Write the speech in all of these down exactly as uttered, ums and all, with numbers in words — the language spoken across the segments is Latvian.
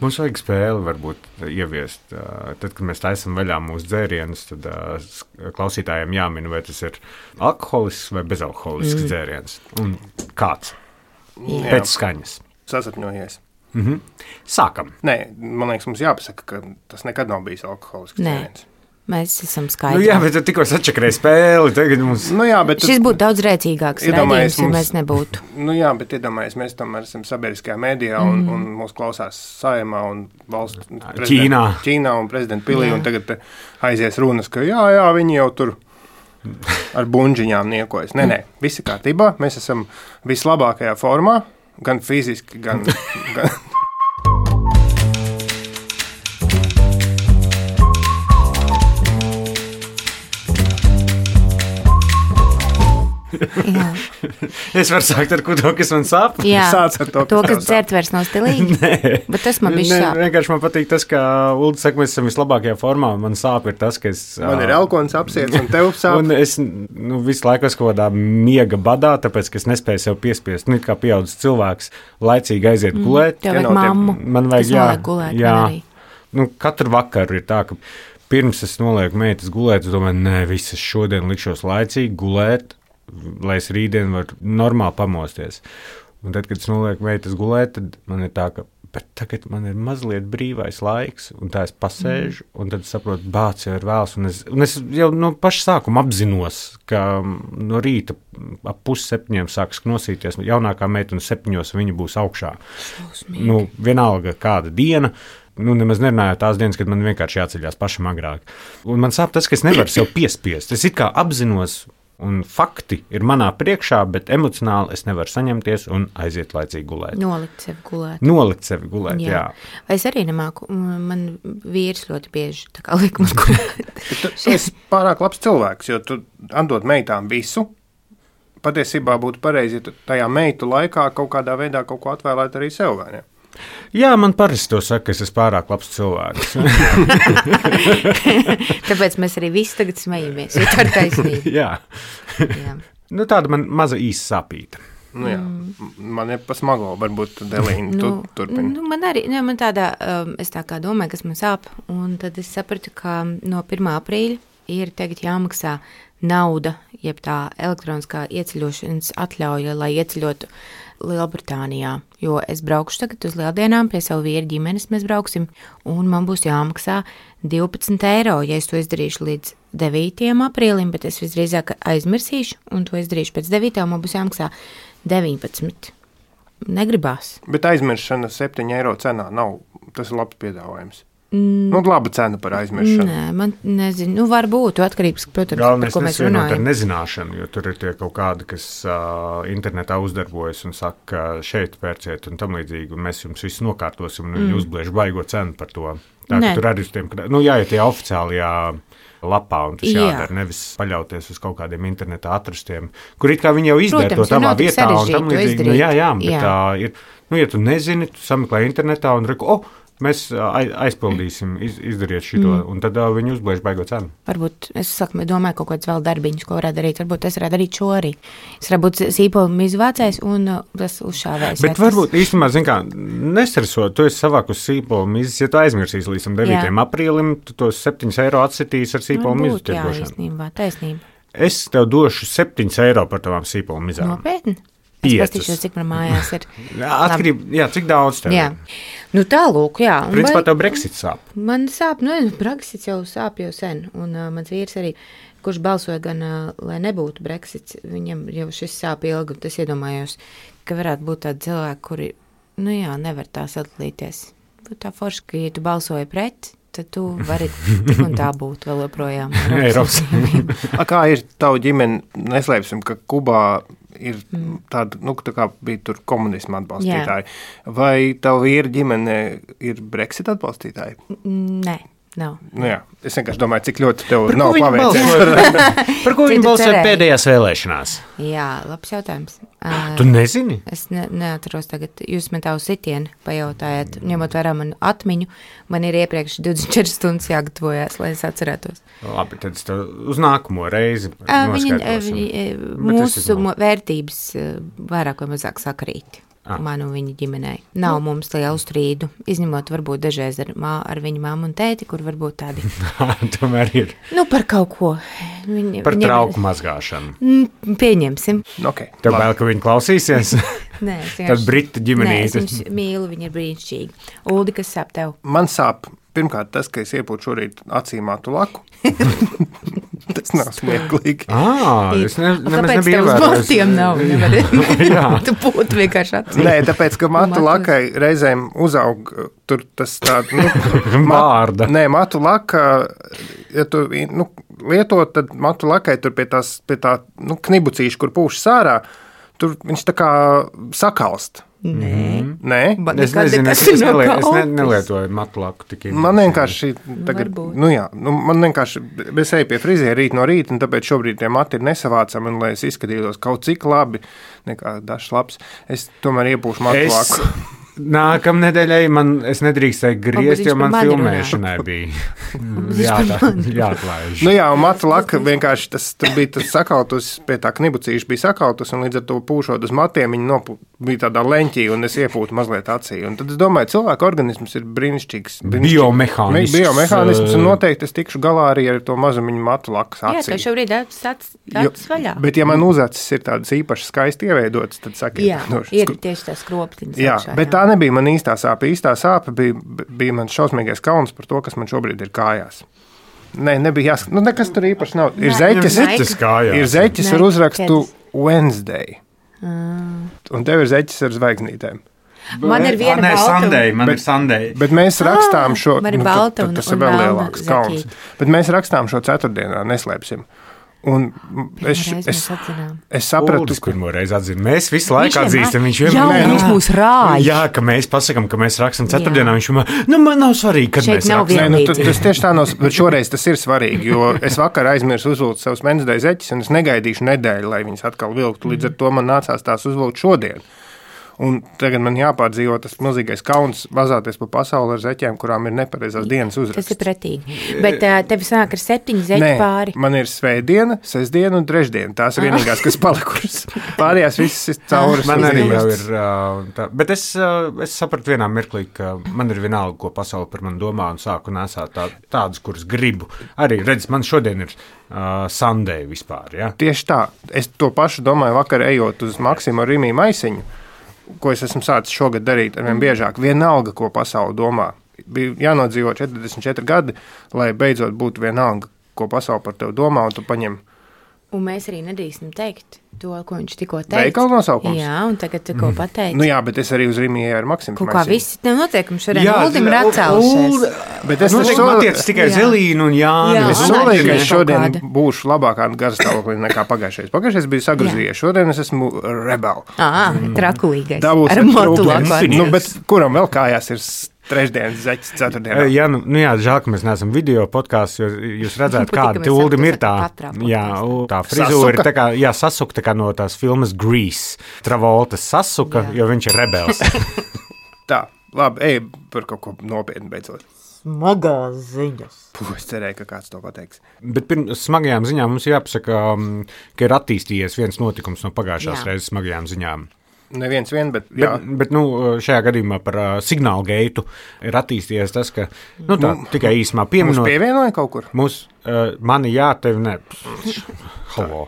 Mums vajag spēli varbūt ieviest. Tad, kad mēs taisam vaļā mūsu dzērienus, tad klausītājiem jāmin, vai tas ir alkoholisks vai bezalkoholisks mm. dzēriens. Un kāds? Jā. Pēc skaņas. Sasapņojies. Mhm. Sākam. Nē, man liekas, mums jāpasaka, ka tas nekad nav bijis alkoholisks dzēriens. Mēs esam skaidri. Nu jā, bet tu tikko sačakrēji spēli. Tagad mums... Nu jā, bet šis būtu daudz rēcīgāks rādījums, ja mēs nebūtu. Nu jā, bet iedomājies, mēs tomēr esam sabiedriskajā mēdījā un, mm. un mūs klausās Saeimā un valsts Ķīnā. Ķīnā un prezidenta pilī. Jā. Un tagad aizies runas, ka jā, jā, viņi jau tur ar bunžiņām niekojas. Nē, nē, visi kārtībā. Mēs esam vislabākajā formā, gan fiziski, gan... gan Jā. Es varu sākt ar to, kas man sāp. Jā, Sāc ar to, to kas dzert vairs nav stilīgi. Nē. Bet tas man bišķi sāp. Vienkārši man patīk tas, ka Ulda saka, mēs esam vislabākajā formā. Man sāp ir tas, ka es... Man ir elkons apsiets un tev sāp. Un es nu, visu laiku esmu kaut kādā miega badā, tāpēc, ka es nespēju sev piespiest. Nu, kā pieaudzis cilvēks, laicīgi aiziet mm. gulēt. Tev vajag mammu, man vajag, kas jā, noliek gulēt. Jā. Nu, katru vakaru ir tā, ka pirms es nolieku meitas gulēt, es domāju, nē, viss, es šodien likšos laicīgi gulēt, lai es rītdien varu normāli pamosties. Un tad, kad es nolieku meitas gulēt, tad man ir tā, ka bet tagad man ir mazliet brīvais laiks, un tā es pasēžu, mm. un tad saprotu, bāc jau ir vēls, un es, un es jau no paša sākuma apzinos, ka no rīta ap pusseptiņiem sāks knosīties, jaunākā meita un septiņos viņa būs augšā. Šausmīgi. Nu, vienalga kāda diena, nu, nemaz nerunāju tās dienas, kad man vienkārši jāceļās pašam agrāk. Un man sāp tas, ka es nevaru sev piespiest. Es it kā apzinos, un fakti ir manā priekšā, bet emocionāli es nevaru saņemties un aiziet laicīgi gulēt. Nolikt sevi gulēt. Nolikt sevi gulēt, jā. jā. Vai es arī nemāku, man vīrs ļoti bieži tā kā liek mums gulēt. Tu esi pārāk labs cilvēks, jo tu atdod meitām visu. Patiesībā būtu pareizi, ja tajā meitu laikā kaut kādā veidā kaut ko atvēlēt arī sev, vai ne? Jā, man parasti to saka, ka es esmu pārāk labs cilvēks. Tāpēc mēs arī visi tagad smejamies, jo tā ir taisnība. jā. jā. Nu, tāda man maza īsa sāpīta. Nu jā, mm. man ir pa smago, varbūt Delīna, tu nu, turpini. Nu, man arī, ne, man tādā, um, es tā kā domāju, kas man sāp, un tad es sapratu, ka no pirmā aprīļa ir tagad jāmaksā nauda, jeb tā elektroniskā ieceļošanas atļauja, lai ieceļotu Lielbritānijā, jo es braukšu tagad uz lieldienām pie savu vīru ģimenes, mēs brauksim, un man būs jāmaksā divpadsmit eiro, ja es to izdarīšu līdz devītajam aprīlim, bet es visdrīzāk aizmirsīšu, un to izdarīšu pēc devītā, man būs jāmaksā deviņpadsmit. Negribās. Bet aizmiršana septiņu eiro cenā nav, tas ir labs piedāvājums. Mm. Nu, laba cena par aizmiršanu. Nē, man nezinu, nu varbūt, atkarības, protams, Galvenais par ko mēs runājam. runājam. Ar nezināšanu, jo tur ir tie kaut kādi, kas uh, internetā uzdarbojas un saka, šeit pērciet un tam līdzīgi, un mēs jums visu nokārtosim, un mm. viņi uzbliež baigo cenu par to. Tā, ka tur arī uz tiem, nu jāiet tie oficiālajā lapā, un tas Jā. jādara, nevis paļauties uz kaut kādiem internetā atrastiem, kur it kā viņi jau izdara Protams, to tavā nav tik vietā, un tam sarežģīti to līdzīgi, nu izdarīt. jā, jā, bet Jā. tā ir, nu ja tu nezini, tu sameklē internetā un reku, oh, mēs aizpildīsim, iz, izdariet šito, mm. un tad uh, viņi uzbliež baigo cenu. Varbūt es saku, domāju kaut kāds vēl darbiņus, ko varētu darīt. Varbūt es varētu darīt šo arī. Es varētu būt sīpolu izvācējs un uh, tas uzšāvējs. Bet varbūt īstenībā, zin kā, nestresot, tu esi savākus sīpolu mizes, ja tu aizmirsīsi līdz devītajam aprīlim, tu tos septiņus eiro atsitīs ar sīpolu mizu Varbūt, jā, tirgošanu. īstenībā, taisnība. Es tev došu septiņus eiro par tavām sīpolu mizām. Nopietni? Es Piecas. pastīšos, cik man mājās ir. Atkarība, jā, cik daudz tev Jā. ir? Nu tā lūk, jā. Un Principā vai- tev Brexit sāp. Man sāp, nu, Brexits jau sāp jau sen, un uh, mans vīrs arī, kurš balsoja gan, uh, lai nebūtu Brexits, viņam jau šis sāp ilgi, un tas iedomājos, ka varētu būt tādi cilvēki, kuri, nu jā, nevar tā sadalīties. Būtu tā forši, ka, ja tu balsoji pret, tad tu vari tik un tā būt vēl joprojām. Eiropas. A, kā ir tavu ģimeni, neslēpsim, ka Kubā ir tāda, nu, tā kā bija tur komunisma atbalstītāji. Vai tavu vīra ģimene ir Brexit atbalstītāji? Nē, nav. Nu jā, es vienkārši domāju, cik ļoti tev Par ko nav viņi paveicies. balsoja? Par ko Cik viņi tu balsoja cerēji? pēdējās vēlēšanās? Jā, labs jautājums. Uh, Tu nezini? Es ne, neatceros tagad, jūs man tā uz sitienu pajautājat, ņemot vērā manu atmiņu, man ir iepriekš divdesmit četras stundas jāgatavojās, lai es atcerētos. Labi, tad es tev uz nākamo reizi Uh, viņa, noskaidrosim. viņa, Bet es mūsu esmu- mo- vērtības uh, vairāk vai mazāk sakrīt. ah. man un viņa ģimenei. Nav nu. mums lielu strīdu, izņemot varbūt dažreiz ar, mā, ar viņa mammu un tēti, kur varbūt tādi. Tomēr ir. Nu, par kaut ko. Viņa, par trauku viņa... mazgāšanu. Pieņemsim. Okay, Tev vēl, ka viņi klausīsies? Nē, Tad Britu ģimenītes. Nē, es viņus mīlu, viņi ir brīnišķīgi. Uldi, kas sāp tev? Man sāp, pirmkārt, tas, ka es iepūtu šorīt acīm matu laku. Tas nav smieklīgi. Ah, es ne, nemaz nebiju ievērojis. Kāpēc tev uz matiem nav? Nevar, tu būtu vienkārši acīm. Nē, tāpēc, ka matu lakai reizēm uzaug tur tas tā, nu, vārda. Nē, matu laka, ja tu, nu, lietot, tad matu lakai tur pie tās, pie tā, nu, knibucīša, kur pūš sārā, tur viņš tā kā sakalst. Nē, Nē? Es nezinu, es, es, nelie, es ne, nelietoju matlaku tik īsti. Man vienkārši tagad, nu jā, nu, man vienkārši, es eju pie friziera rīt no rīta, un tāpēc šobrīd tie mati ir nesavācami, un lai es izskatītos kaut cik labi, nekā dažs labs, es tomēr iepūšu matlaku. Es... Nākamā nedēļai man es nedrīkstēju griezt, jo man filmēšanai bija jāatlaiž. Nu jā, un matu laka vienkārši tas bija tas sakautus, pie tā knibucīša bija sakautus, un līdz ar to pūšot uz matiem, viņi nopū, bija tādā leņķī, un es iepūtu mazliet acī. Un tad es domāju, cilvēka organisms ir brīnišķīgs. Biomehānisms. Biomehānisms, un noteikti es tikšu galā arī ar to mazumiņu matu lakas acī. Jā, ka šobrīd acis vaļā. Bet ja man uzacis ir tādas īpaši skaisti ieveidotas, tad sakiet. Jā, no, ir tieši tās kroptiņas. Jā, augšā, bet jā. Tā nebija man īstā sāpe. Īstā sāpe bija, bija man šausmīgais kauns par to, kas man šobrīd ir kājās. Nē, nebija jāskat. Nu, nekas tur īpaši nav. Ir zeķes, ir zeķes ar uzrakstu Wednesday. Mm. Un tev ir zeķes ar zvaigznītēm. Man ir viena balta. Sunday, man bet, ir Sunday. Bet mēs rakstām šo, ah, nu, balta tad, tad tas un, ir vēl un lielāks kauns. Bet mēs rakstām šo ceturtdienā, neslēpsim. Un es, es, es sapratu, Uldis, pirmo reizi atzina. Mēs visu laiku atzīstam, viņš vienmēr. Jā, viņš mūs rāja. Jā, ka mēs pasakam, ka mēs rakstam ceturtdienā, viņš vienmēr, nu, man nav svarīgi, kad šeit mēs rakstam. Nē, nu, tas tieši tā nav, bet šoreiz tas ir svarīgi, jo es vakar aizmirsu uzvilkt savus Wednesday zeķes, un es negaidīšu nedēļu, lai viņas atkal vilktu. Līdz ar to man nācās tās uzvilkt šodien. Un tagad man jāpārdzīvo tas milzīgais kauns vazāties pa pasauli ar zeķiem, kurām ir nepareizās dienas uzraksts. Tas ir pretīgi. Bet uh, tev sāk ar septiņu zeķu Nē, pāri. Man ir svētdiena, sestdiena un trešdiena. Tās ir vienīgās, kas palikušas. Pārējās visas ir cauras. Man arī jau ir tā. Bet es, es sapratu vienā mirklī, ka man ir vienalga, ko pasauli par mani domā, un sāku nesāt tā, tādus, kurus gribu. Arī, redz, man šodien ir uh, Sunday vispār, ja? Tieši tā. Es to pašu domāju vakar ejot uz Maksimu Rimī Maisiņu, ko es esmu sācis šogad darīt ar vien biežāk. Vienalga, ko pasauli domā. Bija jānodzīvo četrdesmit četri gadi, lai beidzot būtu vienalga, ko pasauli par tevi domā, un tu paņem. Un mēs arī nedrīkstam teikt to, ko viņš tikko teica. Veikala nosaukums? Jā, un tagad tikko mm. pateica. Nu jā, bet es arī uz Rimī ar Maksimu. Kaut kā visi tev noteikumi šodien Uldim ir atcēlušies. Bet es noteikti attiecas tikai Zelīnu un Jānu. Jā, es solīju, ka es šodien būšu labākā garastāvoklī nekā pagājušais. Pagājušais bija sagrozījies, šodien es esmu rebel. Ā, trakulīgais. Dabūs ar motu laku. Nu, bet kuram vēl kājās ir trešdienas, zeķis, ceturtdienā. Jā, nu, nu jā, žēl, ka mēs neesam video podkāsts, jo jūs redzētu, kāda te Uldim ir tā, jā, tā frizūra ir tā kā, jā, sasuka tā kā no tās filmas Grease. Travoltas sasuka, jā. Jo viņš ir rebels. Tā, labi, ej par kaut ko nopietni beidzot. Smagās ziņas. Puh, es cerēju, ka kāds to pateiks. Bet pirms smagajām ziņām mums jāpasaka, ka ir attīstījies viens notikums no pagājušās reizes smagajām ziņām. Neviens vien, bet, jā. bet, bet nu, šajā gadījumā par uh, signālu geitu ir attīstījies tas, ka, nu tā, nu, tikai īsumā pieminot. Mūs pievienoja kaut kur? Mūs, uh, mani jā, tevi ne. Halo.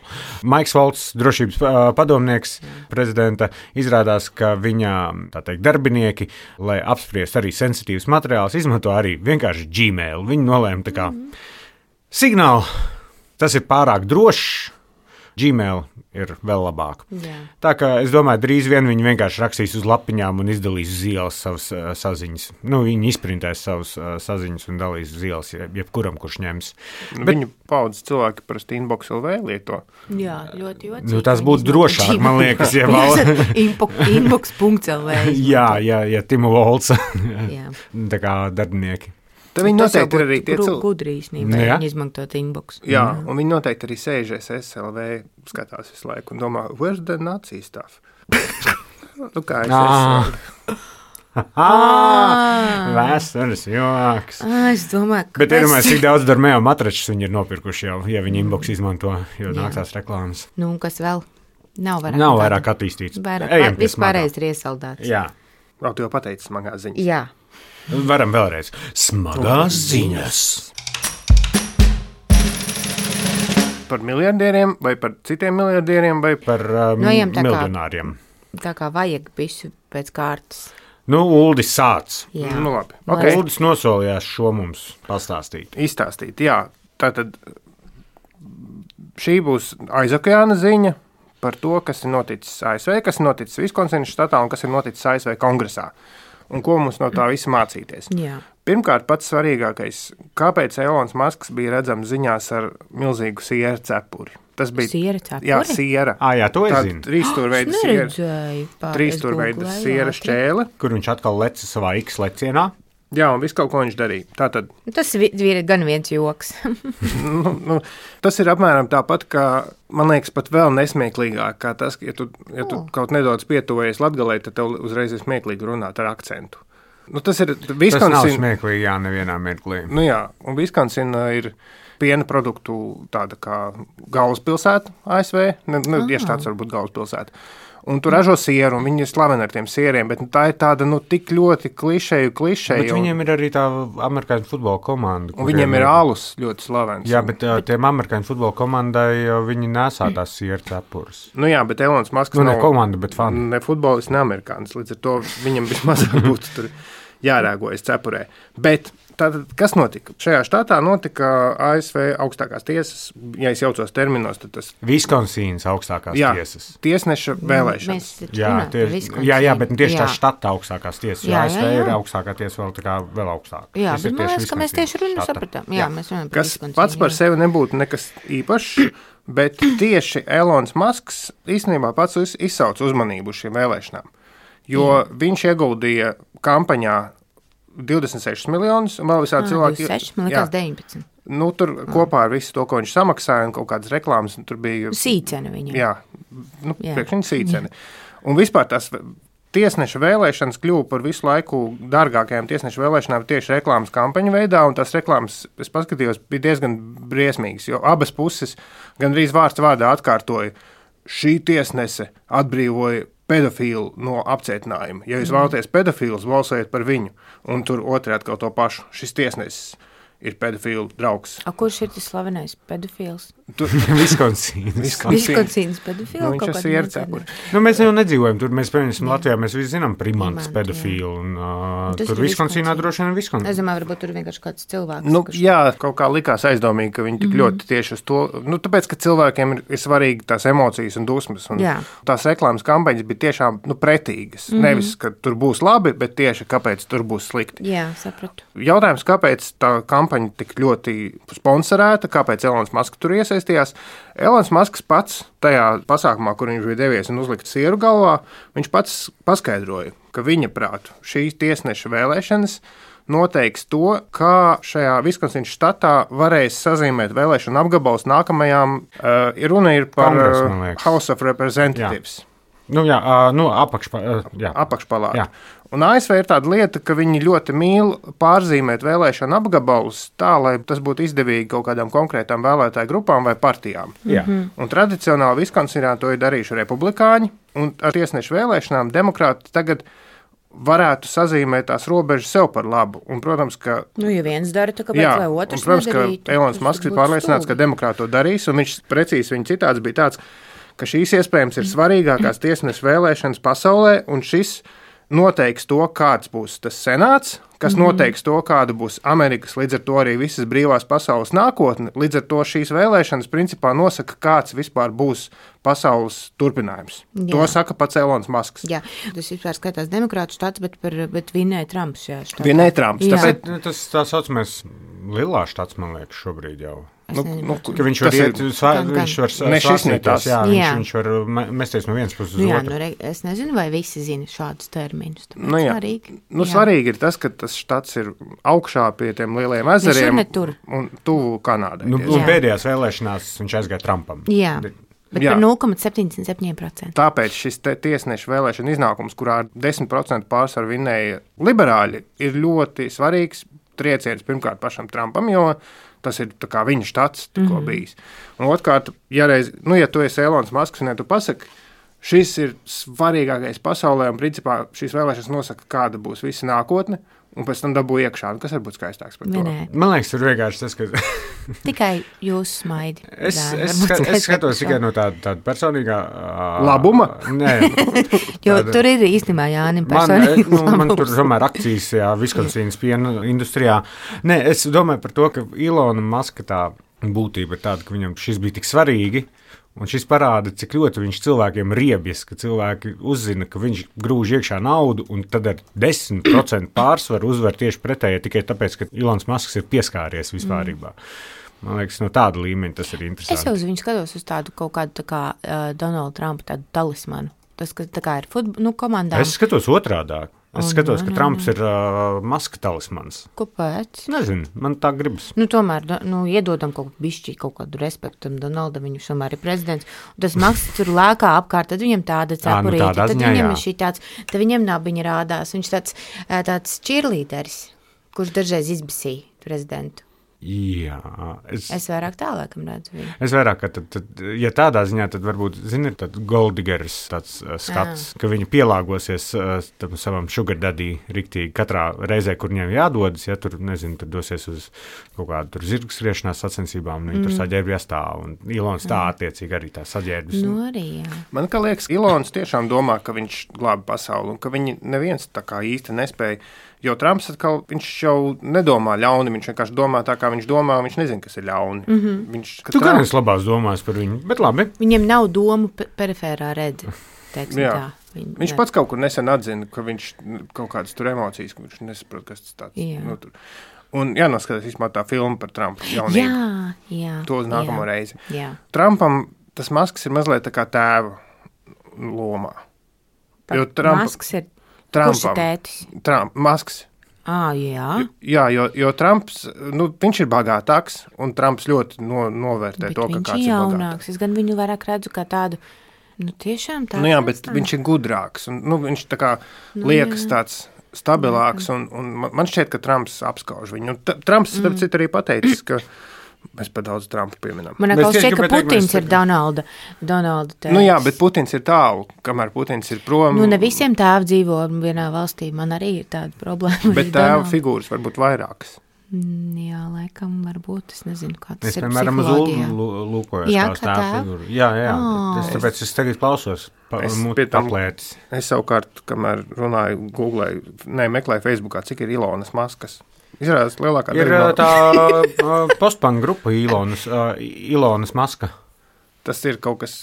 Maiks Volts, drošības uh, padomnieks prezidenta, izrādās, ka viņa, tā teikt, darbinieki, lai apspriest arī sensitīvus materiālus, izmanto arī vienkārši Gmail. Viņi nolēma tā kā, signāli, tas ir pārāk drošs, Gmail ir vēl labāk. Jā. Tā kā es domāju, drīz vien viņi vienkārši rakstīs uz lapiņām un izdalīs uz ielas savas uh, saziņas. Nu, viņi izprintēs savas uh, saziņas un dalīs uz ielas jebkuram, kurš ņems. Bet, viņu paudzes cilvēki parasti inbox L V lieto. Jā, ļoti jocīgi. Nu, tas būtu drošāk, man liekas, ja vēl. inbox punkt L V. Jā, jā, jā, Timu Volts. Tā kā darbinieki. Tad viņi noteikti ir arī tie cilvēki. Gudri īstenībā, ja? Viņi izmantot inbox. Jā, un viņi noteikti arī sēžas S L V, skatās visu laiku un domā, where's the Nazi stuff? Nu kā es esmu. Vēstures joks. Es domāju, ka... Bet iedomājies, cik daudz Dormeo matračus viņi ir nopirkuši jau, ja viņi inbox izmanto, jo nāktās reklāmas. Nu, un kas vēl? Nav vairāk, Nav vairāk attīstīts. Vairāk, vispārējais ir iesaldēts. Jā. Vēl tu jau pateici smagās ziņas. Jā. Varam vēlreiz. Smagās ziņas. Par miljardieriem vai par citiem miljardieriem vai par um, no, jām, tā miljonāriem. Kā, tā kā vajag visu pēc kārtas. Nu, Uldis sāc. Jā. Nu, labi. Okay. Uldis nosolījās šo mums pastāstīt. Izstāstīt, jā. Tātad šī būs aizokeāna ziņa par to, kas ir noticis A S V, kas ir noticis Viskonsinas štatā un kas ir noticis A S V kongresā. Un ko mums no tā visa mācīties? Jā. Pirmkārt, pats svarīgākais, kāpēc Elons Musks bija redzams ziņās ar milzīgu siera cepuri. Tas bija siera cepuri? Jā, siera. Ah, jā, to es zinu. Trīsstūrveida siera, trīsstūrveida siera šķēle. Kur viņš atkal leca savā X lecienā. Jā, un viss kaut ko viņš darīja. Tātad, tas ir gan viens joks. nu, nu, tas ir apmēram tāpat, kā, man liekas, pat vēl nesmieklīgāk, kā tas, ja tu, ja tu oh. kaut nedaudz pietuvojies Latgalei, tad tev uzreiz ir smieklīgi runāt ar akcentu. Nu, tas ir Viskonsina. Tas nav smieklīgi, jā, nevienā mirklī. Nu jā, un Viskonsina ir piena produktu tāda kā galvaspilsēta A S V, ne, ne, ah. tieši tāds varbūt galvaspilsēta. Un tu ražo sieru, un viņi ir slaveni ar tiem sieriem, bet nu, tā ir tāda, nu, tik ļoti klišeju, klišeju. Bet viņiem ir arī tā amerikāņu futbola komanda. Un viņiem ir alus ļoti slavens. Jā, bet uh, tiem amerikāņu futbola komandai uh, viņi nesā tās sieru cepures. Nu jā, bet Elons Musks nu, nav... Ne komanda, bet fani. Ne futbolists, ne amerikānis, līdz ar to viņam vismazāk būtu tur jārēgojas cepurē. Bet... Tātad, kas notika? Šajā štatā notika A S V augstākās tiesas, ja es jaucos terminos, tad tas... Viskonsīnas augstākās jā, tiesas. Tiesneša vēlēšanas. Jā, tieši, jā, jā, bet tieši jā. Tā štata augstākās tiesas, jo A S V jā, jā. Ir augstākā tiesa vēl, tā kā vēl augstāka. Jā, bet man liekas, ka mēs tieši runu sapratām. Jā, jā. Mēs runājam par kas pats par jā. Sevi nebūtu nekas īpašs, bet tieši Elons Musks īstenībā pats izsauc uzmanību uz šīm vēlēšanām, jo jā. Viņš ieguldīja kampaņā divdesmit sešus miljonus, un vēl visādi cilvēki... divdesmit seši, man liekas, deviņpadsmit. Nu, tur ah. kopā ar visu to, ko viņš samaksāja, un kaut kādas reklāmas, tur bija... Sīcene viņam. Jā, nu, priekš viņa sīcene. Jā. Un vispār tās tiesneša vēlēšanas kļuva par visu laiku dārgākajām tiesneša vēlēšanām tieši reklāmas kampaņu veidā, un tās reklāmas, es paskatījos, bija diezgan briesmīgas, jo abas puses gandrīz vārds vārdā atkārtoja, šī tiesnese atbrīvoja pedofīlu no apcietinājuma. Ja jūs mm. vēlaties pedofīlus, balsojiet par viņu. Un tur otrādi atkal to pašu. Šis tiesnesis ir pedofīlu draugs. A, kurš ir tas slavenais pedofīls? Viskonsīnas. Viskonsīnas pedofīls? Nu, viņš ir siera cepuri. Nu, mēs jau nedzīvojam tur. Mēs, piemēram, Latvijā mēs visi zinām primantas pedofīlu. Un, uh, tur Viskonsīnā droši vien ir Viskonsīna. Es domāju, varbūt tur vienkārši kāds cilvēks. Nu, kurš... Jā, kaut kā likās aizdomīgi, ka viņi tik mm-hmm. ļoti tieši uz to... Nu, tāpēc, ka cilvēkiem ir, ir svarīgi tās emocijas un dusmas. Un jā. Tās reklāmas kampaņas bija tiešām nu, pretīgas. Mm-hmm. Nevis, ka tur būs labi, bet tieši kāpēc tur būs slikti. Jā, sapratu. Jautājums, kāpēc tā kampaņa tik ļoti sponsorēta, kāpēc Elons Musks tur iesaistījās. Elons Musks pats tajā pasākumā, kur viņš bija devies un uzlikt sieru galvā, viņš pats paskaidroja, ka viņa prātu šīs tiesneša vēlēšanas noteiks to, kā šajā Viskonsīnas štatā varēs sazīmēt vēlēšanu apgabals nākamajām, uh, runa ir par Kongres, House of Representatives. Jā. Nu, jā, uh, nu, apakšpa, uh, jā. apakšpalāta. Jā. Un A S V ir tāda lieta, ka viņi ļoti mīl pārzīmēt vēlēšanu apgabalus tā, lai tas būtu izdevīgi kaut kādām konkrētām vēlētāju grupām vai partijām. Jā. Un tradicionāli Viskonsinā to ir darījuši republikāņi, un ar tiesnešu vēlēšanām demokrāti tagad varētu sazīmēt tās robežas sev par labu. Un, protams, ka... Nu, ja viens dara, tā kāpēc, lai otrs un, protams, nedarītu. Ka Elons Musks ir pārliecināts, ka demokrāti to darīs, un viņš precīzi viņa citāts bija tāds, ka šīs iespējams ir svarīgākās tiesnešu vēlēšanas pasaulē, un šis noteiks to, kāds būs tas senāts, kas mm-hmm. noteiks to, kāda būs Amerikas, līdz ar to arī visas brīvās pasaules nākotne. Līdz ar to šīs vēlēšanas principā nosaka, kāds vispār būs pasaules turpinājums. Jā. To saka pats Elons Musks. Jā, tas vispār skatās demokrātu štats, bet, par, bet vinēja Trumps. Jā, vinēja Trumps. Tāpēc... Tas tā saucamais Lilā štats, man liekas, šobrīd jau. Nu, nu, ka viņš var iet, svā, viņš var svārstīties, jā, viņš, jā. viņš var mesties no vienas puses uz nu, jā, otru. Nu, re, es nezinu, vai visi zina šādus terminus. Nu, jā. Svarīgi. Nu, svarīgi ir tas, ka tas štats ir augšā pie tiem lielajiem ezeriem un tuvu Kanādai. Nu, un pēdējās vēlēšanās viņš aizgāja Trumpam. Jā. Bet jā. Par nulle komats septiņdesmit septiņi procenti. Tāpēc šis tiesneša vēlēšana iznākums, kurā desmit procenti pārsvaru vinēja liberāļi, ir ļoti svarīgs trieciens pirmkārt pašam Trumpam, jo tas ir viņa štats tikko mm-hmm. bijis. Un otrkārt, ja, reiz, nu, ja tu esi Elons Musks, un ja tu pasaki, šis ir svarīgākais pasaulē, un principā šīs vēlēšanas nosaka, kāda būs visa nākotne. Un pēc tam dabū iekšā, kas var būt skaistāks par to. Nē. Man liekas, tur vienkārši tas, ka... Tikai jūs smaidi. es, es, skat, es skatos tikai no tāda, tāda personīgā... Uh, labuma? Nē. Jo tāda, tur ir īstenībā Jānim personīgi. Man, nu, man tur tomēr akcijas, jā, Viskonsīnas piena industrijā. Nē, es domāju par to, ka Ilona Maska tā būtība ir tāda, ka viņam šis bija tik svarīgi, un šis parāda, cik ļoti viņš cilvēkiem riebjas, ka cilvēki uzzina, ka viņš grūž iekšā naudu, un tad ar desmit procentu pārsvaru uzvar tieši pretēji, tikai tāpēc, ka Ilons Masks ir pieskāries vispārībā. Mm. Man liekas, no tāda līmeņa tas ir interesanti. Es jau uz viņu skatos uz tādu kaut kādu tā kā uh, Donalda Trumpa tādu talismanu. Tas, ka tā kā ir futbol, nu, komandām. Es skatos otrādāk. Es oh, skatos, nā, ka Trumps nā. ir uh, Maska talismans. Kāpēc? Nezinu, man tā gribas. Nu, tomēr, nu, iedodam kaut bišķi, kaut kādu respektu tam Donaldam, viņš tomēr ir prezidents. Un tas Masks tur lēkā apkārt, tad viņam tāda cepurīte, nu, tad ziņā, viņam ir šī tāds, tad viņam nabiņa rādās. Viņš tāds, tāds cheerleaderis, kurš dažreiz izbisīja prezidentu. Jā, es, es vairāk tā laikam redzu viņu. Es vairāk, ka tad, tad, ja tādā ziņā, tad varbūt, zini, ir tāds goldigeris tāds uh, skats, Jā. Ka viņi pielāgosies uh, tam savam sugar daddy riktīgi katrā reizē, kur viņiem jādodas, ja tur, nezinu, tur dosies uz kaut kādu tur zirgu skriešanās sacensībām, viņi mm. tur saģērbjās tā, un Ilons tā attiecīgi arī tā saģērbjas. Nu arī, jā. Man kā liekas, Ilons tiešām domā, ka viņš glāba pasauli, un ka viņi neviens tā kā īsti nespēja. Jo Trumps atkal, viņš jau nedomā ļauni, viņš vienkārši domā tā, kā viņš domā, viņš nezina, kas ir ļauni. Mm-hmm. Viņš, tu gan esi labās domās par viņu, bet labi. Viņam nav domu periferā redzi, teiksim Jā. tā. Viņ, viņš pats kaut kur nesen atzina, ka viņš kaut kādas tur emocijas, ka viņš nesaprot, kas tas tāds. Jā. Nu, tur. Un jānoskatās vispār tā filma par Trumpu jaunību. Jā, jā. To uz nākamo jā, reizi. Jā. Trumpam tas Masks ir mazliet tā kā tēva lomā. Jo Trumpa, Masks ir Trumpam, kurš ir tētis? Trump, Masks. Ah, jā, jā jo, jo Trumps, nu, viņš ir bagātāks, un Trumps ļoti no, novērtē bet to, ka kāds ir jaunāks. Es gan viņu vairāk redzu kā tādu, nu, tiešām tādu. Nu jā, bet viņš ir gudrāks, un nu, viņš tā kā nu, liekas jā. tāds stabilāks, un, un man šķiet, ka Trumps apskauž viņu. Un Trumps, starp citu, arī pateicis, ka mēs pa daudz Trumpu pieminam. Man atkal šķiet, ka Putins ir Donalda, Donalda tēvs. Nu jā, bet Putins ir tālu, kamēr Putins ir prom. Nu ne visiem tēvi dzīvo vienā valstī, man arī ir tāda problēma. Bet tēva figūras var būt vairākas. Jā, laikam varbūt, es nezinu, kā tas es, ir piemēram, psiholoģijā. Es piemēram uz lūkojos jā, tās tēva figūru. Jā, jā, oh. es, tāpēc es tagad klausos pa, es, paplētis. Es savukārt, kamēr runāju, googlēju, ne, meklēju Facebookā, cik ir Ilonas Maskas. Izrādās lielākā ir no... tā uh, postpanga grupa Ilonas, uh, Ilonas Maska. Tas ir kaut kas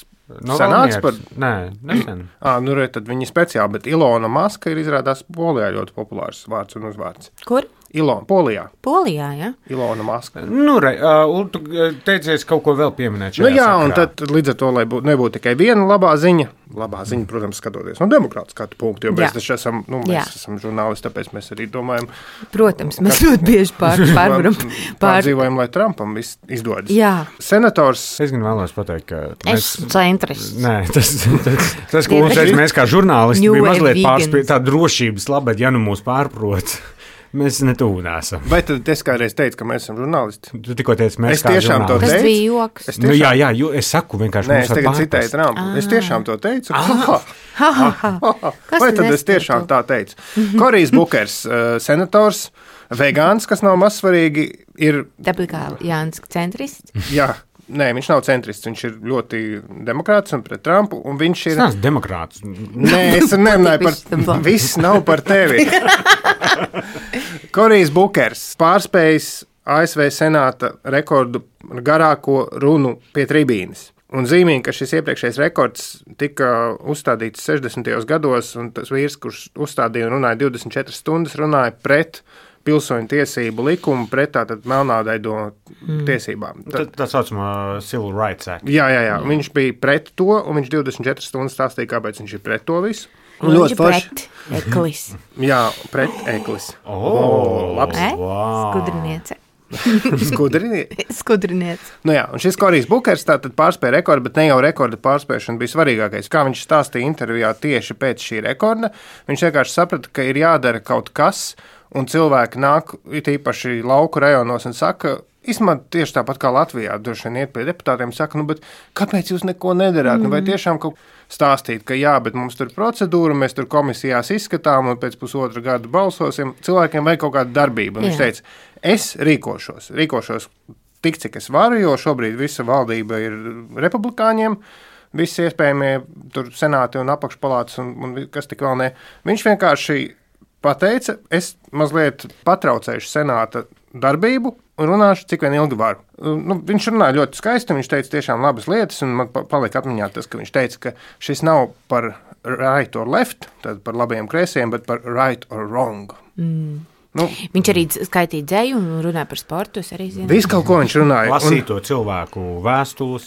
no senāks par... Nē, nesen. Ā, nu re, tad viņi speciāli, bet Ilona Maska ir izrādās Polijā ļoti populārs vārds un uzvārds. Kur? Ilona, Polijā. Polijā, jā? Ilona Maska. Nu, re, uh, tu teicies kaut ko vēl pieminēt šajā Nu jā, sakarā. Un tad līdz ar to, lai būt, nebūtu tikai viena labā ziņa, labā ziņa, protams, skatoties no demokrāta skatu punktu, jo mēs taču esam, nu, mēs jā. esam žurnālisti, tāpēc mēs arī domājam. Protams, mēs ļoti bieži pār, pārvaram. Pār... Pārdzīvojam, lai Trumpam viss izdodas. Jā. Senators. Es gan vēlos pateikt, ka... Es centrists. Nē, tas, tas, tas ko mums teica, mēs kā žurnālisti bija mazliet pārspīd tā drošības labad, ja nu mūs pārprot. Mēs netuvu nesam. Vai tad es kādreiz teicu, ka mēs esam žurnālisti? Tu tikko teici, mēs es kā žurnālisti. Tas bija joks. Tiešām... Nu, jā, jā, jo es saku vienkārši. Nē, es tagad citēju Trumpu. Es tiešām to teicu. Ah. Ha, ha, ha. Vai tad es tiešām tā teicu? Korijs Bukers, uh, senators, vegāns, kas nav mazsvarīgi, ir... Tāpēc kā Jānis centrists? Jā. Nē, viņš nav centrists, viņš ir ļoti demokrāts un pret Trumpu, un viņš ir... Tas nav demokrāts. Nē, es nemanāju par... Viss nav par tevi. Korijs Bukers pārspējis A S V senāta rekordu garāko runu pie tribīnes. Un zīmīgi, ka šis iepriekšējais rekords tika uzstādīts sešdesmitajos gados, un tas vīrs, kurš uzstādīja un runāja divdesmit četras stundas, runāja pret pilsoņu tiesību likumu pret tātad melnādaido mm. tiesībām. Tad, tā saucamā Civil Rights Act. Jā, jā, jā. Viņš bija pret to, un viņš divdesmit četras stundas stāstīja, kāpēc viņš ir pret to visu. Un viņš ir pret eklis. Jā, pret eklis. O, oh, labs. E? Wow. Skudriniece. Skudriniece. Skudriniece. Nu jā, un šis Korijs Bukers tātad pārspēja rekordu, bet ne jau rekorda pārspēšana bija svarīgākais. Kā viņš stāstīja intervijā tieši pēc šī rekorda, viņš vienkārši saprata, ka ir jādara kaut kas, un cilvēki nāk, it īpaši lauku rajonos, un saka, Īstumā tieši tāpat kā Latvijā, droši vien iet pie deputātiem, saka, nu, bet kāpēc jūs neko nedarāt? Mm. Nu, vai tiešām kaut stāstīt, ka jā, bet mums tur procedūra, mēs tur komisijās izskatām un pēc pusotra gada balsosim, cilvēkiem vajag kaut kāda darbība. Un viņš teica, es rīkošos, rīkošos tik, cik es varu, jo šobrīd visa valdība ir republikāņiem, visi iespējamie tur senāti un apakšpalātas un, un kas tik vēl ne. Viņš vienkārši pateica, es mazliet patraucēšu senāta darbību un runāšu, cik vien ilgi varu. Nu, viņš runāja ļoti skaisti, viņš teica tiešām labas lietas, un man palika atmiņā tas, ka viņš teica, ka šis nav par right or left, tad par labajiem kreisiem, bet par right or wrong. Mm. Nu, viņš arī skaitīja dzēju un runāja par sportu, es arī zinu. Visu kaut ko viņš runāja. Lasīto un... cilvēku vēstules.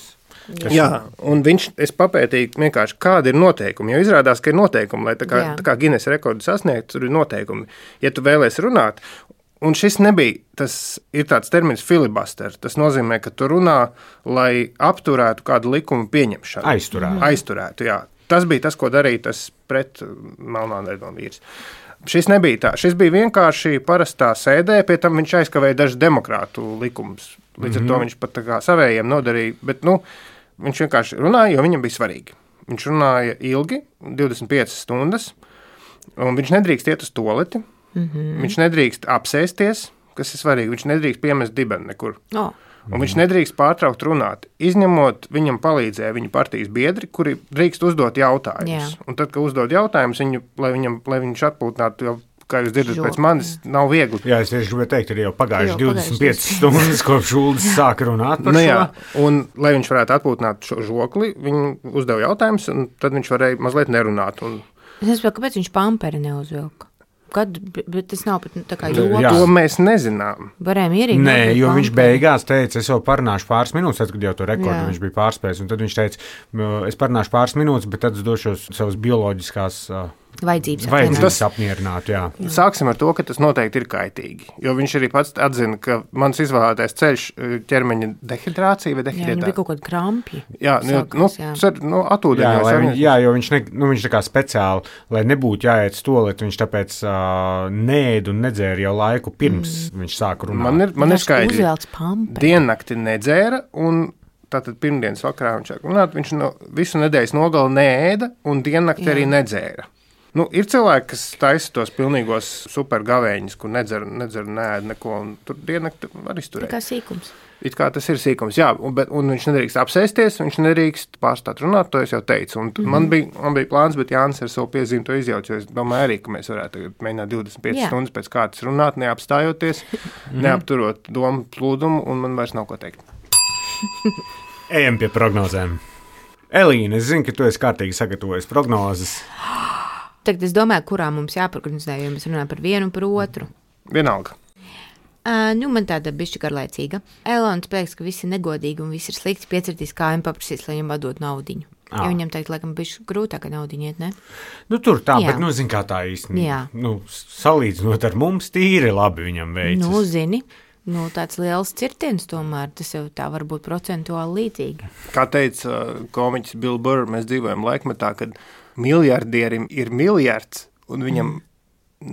Jā, jā, un viņš, es papētīju vienkārši, kāda ir noteikumi, jo izrādās, ka ir noteikumi, lai tā kā, tā kā Guinness rekordu sasniegt, tur ir noteikumi. Ja tu vēlies runāt, un šis nebija, tas ir tāds termins filibuster, tas nozīmē, ka tu runā, lai apturētu kādu likumu pieņemšanu. Aizturētu. Aizturētu, jā. Tas bija tas, ko darīja tas pret Melnānēdonu vīrs. Šis nebija tā, šis bija vienkārši parastā sēdē, pie tam viņš aizkavēja dažu demokrātu likumus. Līdz ar to viņš pat tā kā savējiem nodarīja, bet, nu, viņš vienkārši runāja, jo viņam bija svarīgi. Viņš runāja ilgi, divdesmit piecas stundas, un viņš nedrīkst iet uz toleti, mm-hmm. viņš nedrīkst apsēsties, kas ir svarīgi, viņš nedrīkst piemest dibeni nekur. Oh. Un viņš nedrīkst pārtraukt runāt, izņemot viņam palīdzēja viņa partijas biedri, kuri drīkst uzdot jautājumus. Yeah. Un tad, kad uzdod jautājumus, viņu, lai, viņam, lai viņš atpūtinātu, jau, kā jūs dzirdat pēc manis, nav viegli. Jā, es tieši gribēju teikt, ir jau pagājuši divdesmit piecas stundas, kopš Uldis sāka runāt par nu, šo. Jā, un, lai viņš varētu atpūtināt šo žokli, viņu uzdeva jautājumus, un tad viņš varēja mazliet nerunāt. Un... Es nezinu, kāpēc viņš pamperi neuzvilka. Kad, bet tas nav pat tā kā joks. To mēs nezinām. Varējām ierīt. Nē, jo viņš beigās teica, es jau parunāšu pāris minūtes, tad, kad jau to rekordu jā. Viņš bija pārspējis. Un tad viņš teica, es parunāšu pāris minūtes, bet tad es došos savas bioloģiskās uh, vajadzības, vajadzības apmierināt. Jā. Jā. Sāksim ar to, ka tas noteikti ir kaitīgi. Jo viņš arī pats atzina, ka mans izvēlētais ceļš ķermeņa dehidrācija vai dehidrācija. Jā, viņam bija kaut kāda krampji. Jā, Sākās, nu, jā. Cer, nu atūdeņos. Jā, viņ, jā, jo viņš, ne, nu, viņš tā kā speciāli, lai nebūtu jāiet stolet, viņš tāpēc uh, neēd un nedzēra jau laiku pirms mm. viņš sāka runāt. Man ir, man ir skaidri. Uzvelc pamperi. Diennakti nedzēra un tātad pirmdienas vakarā viņš sāka runāt, viņš no, visu nedēļas nogali neēda un diennakti jā. Arī nedzēra. Nu, ir cilvēki, kas taisa tos pilnīgos supergavēņus, kur nedzer, nedzer neēd neko, un tur diennakti var izturēt. Tā kā sīkums. It kā tas ir sīkums, jā, un, bet, un viņš nedrīkst apsēsties, viņš nedrīkst pārstāt runāt, to es jau teicu. Un mm-hmm. man, bija, man bija plāns, bet Jānis ar savu piezīmi to izjauc, jo es domāju arī, ka mēs varētu mēģināt divdesmit piecas stundas pēc kārtas runāt, neapstājoties, mm-hmm. neapturot domu plūdumu, un man vairs nav ko teikt. Ejam pie prognozēm. Elīna, es zinu, ka tu esi kārtīgi sagatavojis prognozes. Tagad es domāju, kurā mums jāprognozē, jo mēs runājam par vienu un par otru. Vienalga. Uh, nu, man tāda bišķi garlaicīga. Elons liekas, ka viss ir negodīgi un viss ir slikti. Piecirtīs kājām paprasīs, lai viņam atdot naudiņu. Ah. Ja viņam teikt, laikam, bišķi grūtāk naudiņu iet, ne? Nu, tur tā, jā. Bet, nu, zin kā tā īstenībā. Nu, salīdzinot ar mums, tīri labi viņam veicas. Nu, zini. Nu, tāds liels cirtiens tomēr, tas jau tā var būt procentuāli līdzīgi. Kā teica uh, komiķis Bill Burr, mēs dzīvojam laikmetā, kad miljardierim ir miljards, un viņam mm.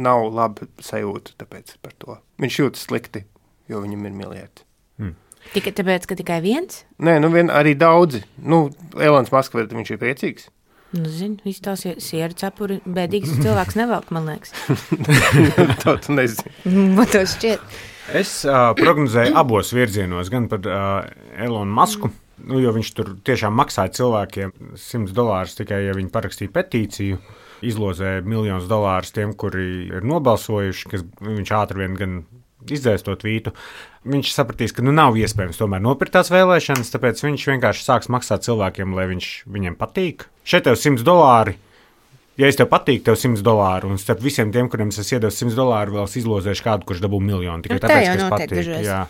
nav laba sajūta tāpēc par to. Viņš jūtas slikti, jo viņam ir miljardi. Mm. Tikai tāpēc, ka tikai viens? Nē, nu vien arī daudzi. Nu, Elons Musk, viņš ir priecīgs. Nu, zinu, viss tās sieru cepuri, bēdīgs cilvēks nevelk, man liekas. To tu nezini. Man to šķiet. Es uh, prognozēju abos virzienos, gan par uh, Elonu Musku, mm. nu, jo viņš tur tiešām maksāja cilvēkiem simts dolārus tikai, ja viņi parakstīja petīciju, izlozēja miljonus dolārus tiem, kuri ir nobalsojuši, kas viņš ātri vien gan izdzēs to tvītu. Viņš sapratīs, ka nu nav iespējams tomēr nopirkt tās vēlēšanas, tāpēc viņš vienkārši sāks maksāt cilvēkiem, lai viņš viņiem patīk. Šeit tev simts dolāri. Ja es tev patīk, tev simts dolāru, un starp visiem tiem, kuriem es iedevu simts dolāru, vēl es izlozēšu kādu, kurš dabū miljonu. Tikai nu, tāpēc, ka es patīk. Jā.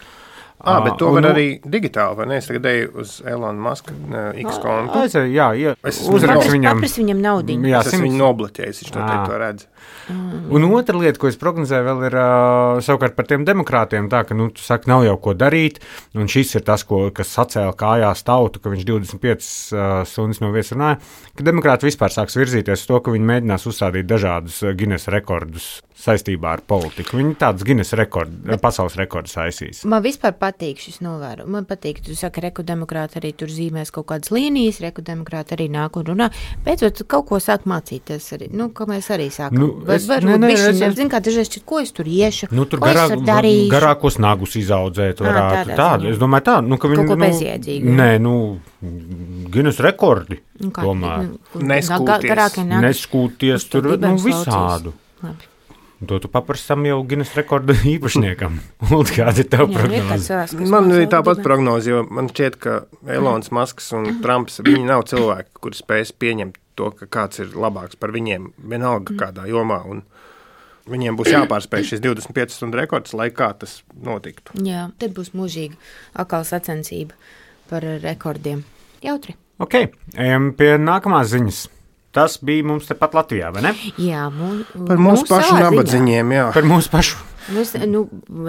Ah, bet to var arī digitāli, vai ne? Es tagad eju uz Elona Muska X kontu. Es, jā, jā. Uzrakstu viņam. Papras viņam naudiņu. Jā, es viņu nobloķēju, viņš to teikt, to redz. Mm. Un otra lieta, ko es prognozēju, vēl ir uh, savukārt par tiem demokrātiem, tā, ka, nu, tu saki, nav jau ko darīt, un šis ir tas, ko, kas sacēla kājās tautu, ka viņš divdesmit piecas uh, stundas no vietas runāja, ka demokrāti vispār sāks virzīties uz to, ka viņi mēģinās uzstādīt dažādus Guinness rekordus saistībā ar politiku. Viņi tādus Guinness rekordu, pasaules rekordus aizsīs. Man vispār patīk patīk šis novēro. Man patīk, tu saki, reku demokrāti arī tur zīmēs kaut kādas līnijas, reku demokrāti arī nāk un runā. Beidzot, kaut ko sāk mācīties arī. Nu, ko mēs arī sākam. Nu, es, var, ne, ne, bišķi, es, es, zin, kā dažreiz, ko es tur iešu, nu, tur ko garā, es tur darīšu. Garākos nagus izaudzēt varētu. À, tādu, es domāju tā. Nu, ka viņi, kaut ko nu, bezjēdzīgi. Nē, nu, Guinness rekordi. Nu, kā, tomēr. Nu, Neskūties. Neskūties tur, nu, visādu. Labi. To tu paprastam jau Guinness rekordu īpašniekam. Uld, kāda ir tava prognoze? Man ir tāpat prognoze, jo man šķiet, ka Elons Musks un Trumps, viņi nav cilvēki, kuri spēs pieņemt to, ka kāds ir labāks par viņiem, vienalga kādā jomā, un viņiem būs jāpārspēj šis divdesmit piecas stundu rekords, lai kā tas notiktu. Jā, tad būs mūžīga akala sacensība par rekordiem. Jautri. Ok, ejam pie nākamās ziņas. Tas bija mums tepat Latvijā, vai ne? Jā, mū, par mūsu pašu nabadzīņiem, jā. Par mūsu pašu. Nu, es, nu,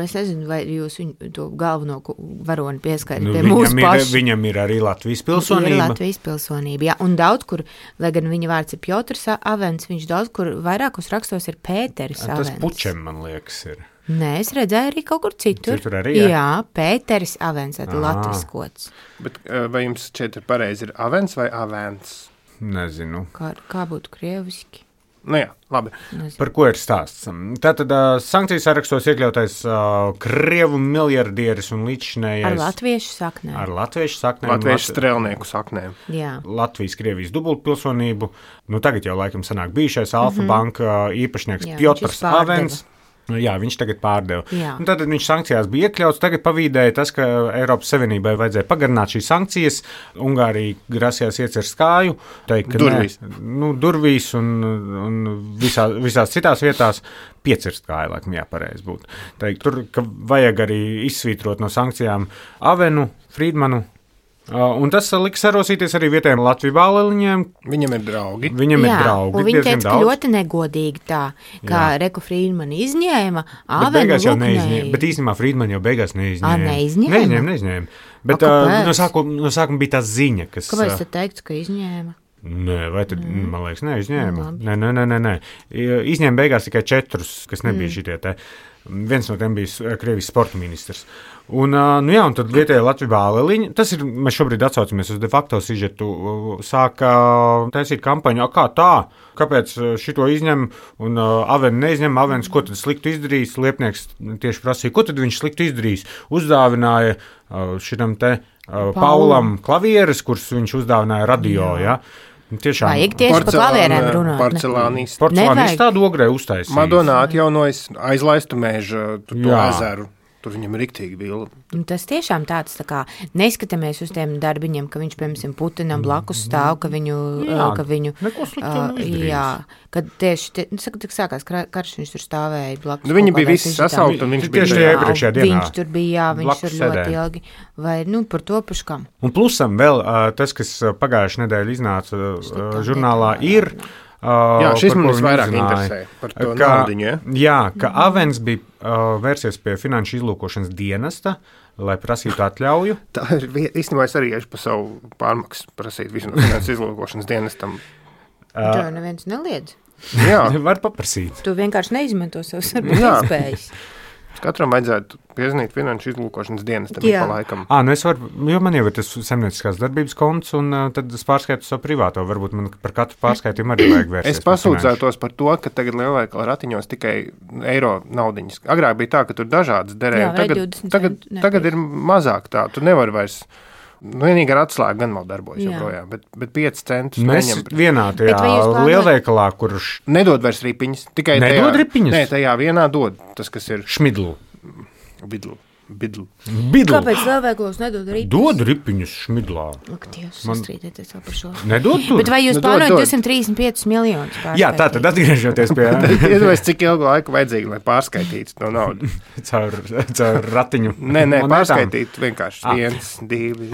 es nezinu, vai jūs viņu to galveno varoni pieskaidri Nu, pie mūsu viņam, ir, pašu. viņam ir arī Latvijas pilsonība. Ir Latvijas pilsonība, jā. Un daudz kur, lai gan viņa vārds ir Piotrs Avens, viņš daudz kur vairākos rakstos ir Pēteris Avens. Tas Pučem, man liekas, ir. Nē, es redzēju arī kaut kur citur. Citur arī, jā? Jā, Pēteris Avens, tad latviskots. Bet vai jums šeit ir pareizi ir Avens vai Avens? Nezinu. Kā, kā būtu krieviski? Nu jā, labi. Nezinu. Par ko ir stāsts? Tātad uh, sankcijas sarakstos iekļautais uh, krievu miljardieris un līdzšinējais. Ar latviešu saknēm. Ar latviešu saknēm. Latviešu strēlnieku saknēm. Jā. Latvijas, Krievijas dubultpilsonību. Nu, tagad jau laikam sanāk bijušais Alfa mm-hmm. banka īpašnieks Jā, Piotrs Avens. Jā, viņš tagad pārdeva. Un tad viņš sankcijās bija iekļauts. Tagad pavīdēja tas, ka Eiropas Savienībai vajadzēja pagarināt šīs sankcijas. Ungārija grasījās iecert skāju. Teikt, durvīs. Ne, nu, durvīs un, un visā, visās citās vietās piecirst skāju, laikam jāpareiz būt. Teikt, tur, ka vajag arī izsvītrot no sankcijām Avenu, Friedmanu. Uh, un tas liks sarosīties arī vietējiem Latviju bāliņiem. Viņam ir draugi. Viņam Jā, ir draugi. Un viņi teica, ka daudz. ļoti negodīgi tā, kā Jā. Reku Friedmani izņēma, Bet Avenu beigās jau Luknei. neizņēma. Bet īstenībā Friedmani jau beigās neizņēma. Ā, neizņēma? Neizņēma, neizņēma. Bet A, uh, kāpēc? no, sākuma, no sākuma bija tā ziņa, kas... Kāpēc tu teiktu, ka izņēma? Nē, vai tad, mm. man liekas, neizņēma. Labi. Nē, nē, nē, nē, nē. Izņēma beigās tikai četrus, kas nebija Mm. šitie te. Viens no tiem bija Krievijas sporta ministrs. Un, nu jā, un tad vietējā Latvijas bāliņa, tas ir, mēs šobrīd atsaucamies uz de facto sižetu, sāka taisīt kampaņu, kā tā, kāpēc šito izņem, un uh, Aveni neizņem, Avens, ko tad sliktu izdarījis, Liepnieks tieši prasīja, ko tad viņš sliktu izdarījis, uzdāvināja uh, šitam te uh, Paulam klavieres, kurus viņš uzdāvināja radio, jā. Ja? Tiešām. Vajag tieši par klavierēm runāt. Porcelānists. Porcelānists tādu ogrē uztaisīja. Madonā atjaunojas aizlaistu mežu, tu to ezeru. Tur viņam ir riktīgi vilna. Tas tiešām tāds, tā kā neskatāmies uz tiem darbiņiem, ka viņš, piemēram, Putinam blakus stāv, ka viņu, jā, ka viņu, neko sliktu uh, neizdarījis. jā, kad tieši, tie, nu, saka, tik sākās karš, viņš tur stāvēja blakus. Nu, viņi kaut bija kādai visi sižetā. sasauti, un viņš bija Tieši tajā iepriekšējā dienā. Viņš tur bija, jā, viņš Blakus tur ļoti sēdēja. ilgi, vai, nu, par to paškam. Un plusam vēl uh, tas, kas pagājušajā nedēļā iznāca uh, žurnālā, ir. Uh, jā, šis man ko viņi visvairāk uzzināja, interesē par to ka, naudiņu, ja? Jā, ka mm-hmm. Avens bija uh, vērsies pie finanšu izlūkošanas dienesta, lai prasītu atļauju. Tā ir īstenībā es arī iešu pa savu pārmaksu prasīt visu no finanšu izlūkošanas dienestam. Uh, to neviens neliedz. Jā. Var paprasīt. Tu vienkārši neizmanto savus varbūt iespējas. Katram vajadzētu piezinīt finanšu izlūkošanas dienestam pa laikam. Ā, nu es varu, jo man jau ir tas saimnieciskās darbības konts, un uh, tad es pārskaitu savu privāto. Varbūt man par katru pārskaitījumu arī vajag vērsties. Es pasūdzētos par to, ka tagad lielveikala ratiņos tikai eiro naudiņas. Agrāk bija tā, ka tur dažādas derēja. Jā, tagad, tagad, tagad ir mazāk tā. Tu nevar vairs... Nu, vienīgi ar atslēgu gan vēl darbojas joprojām, bet, bet pieci centus mēs neņem. Vienā tajā lielveikalā, kurš... Nedod vairs ripiņas. Tikai Nedod tajā, ripiņas? Nē, tajā vienā dod tas, kas ir... Šmidlu. Bidlu. Bidlu. Bidlu. Kāpēc lielveikalos nedod ripiņas? Dod ripiņus šmidlā. Ak, Dievs, sastrīdēties vēl par šo. Nedod tur? Bet vai jūs Nu, plānojat dod, dod. divsimt trīsdesmit piecus miljonus pārskaitīt? Jā, tā tad atgriežoties pie... Iedomājies, cik ilgu laiku vajadzīgi, lai pārskaitītu to naudu. caur, caur ratiņu. Nē, nē, monētām. pārskaitīt vienkārši Ah. viens, divi,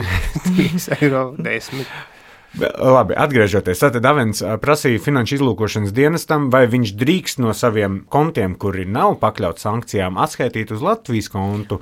trīs eiro, desmit. Labi, atgriežoties. Tātad Avens prasīja finanšu izlūkošanas dienestam, vai viņš drīkst no saviem kontiem, kuri nav pakļauts sankcijām, atskaitīt uz Latvijas kontu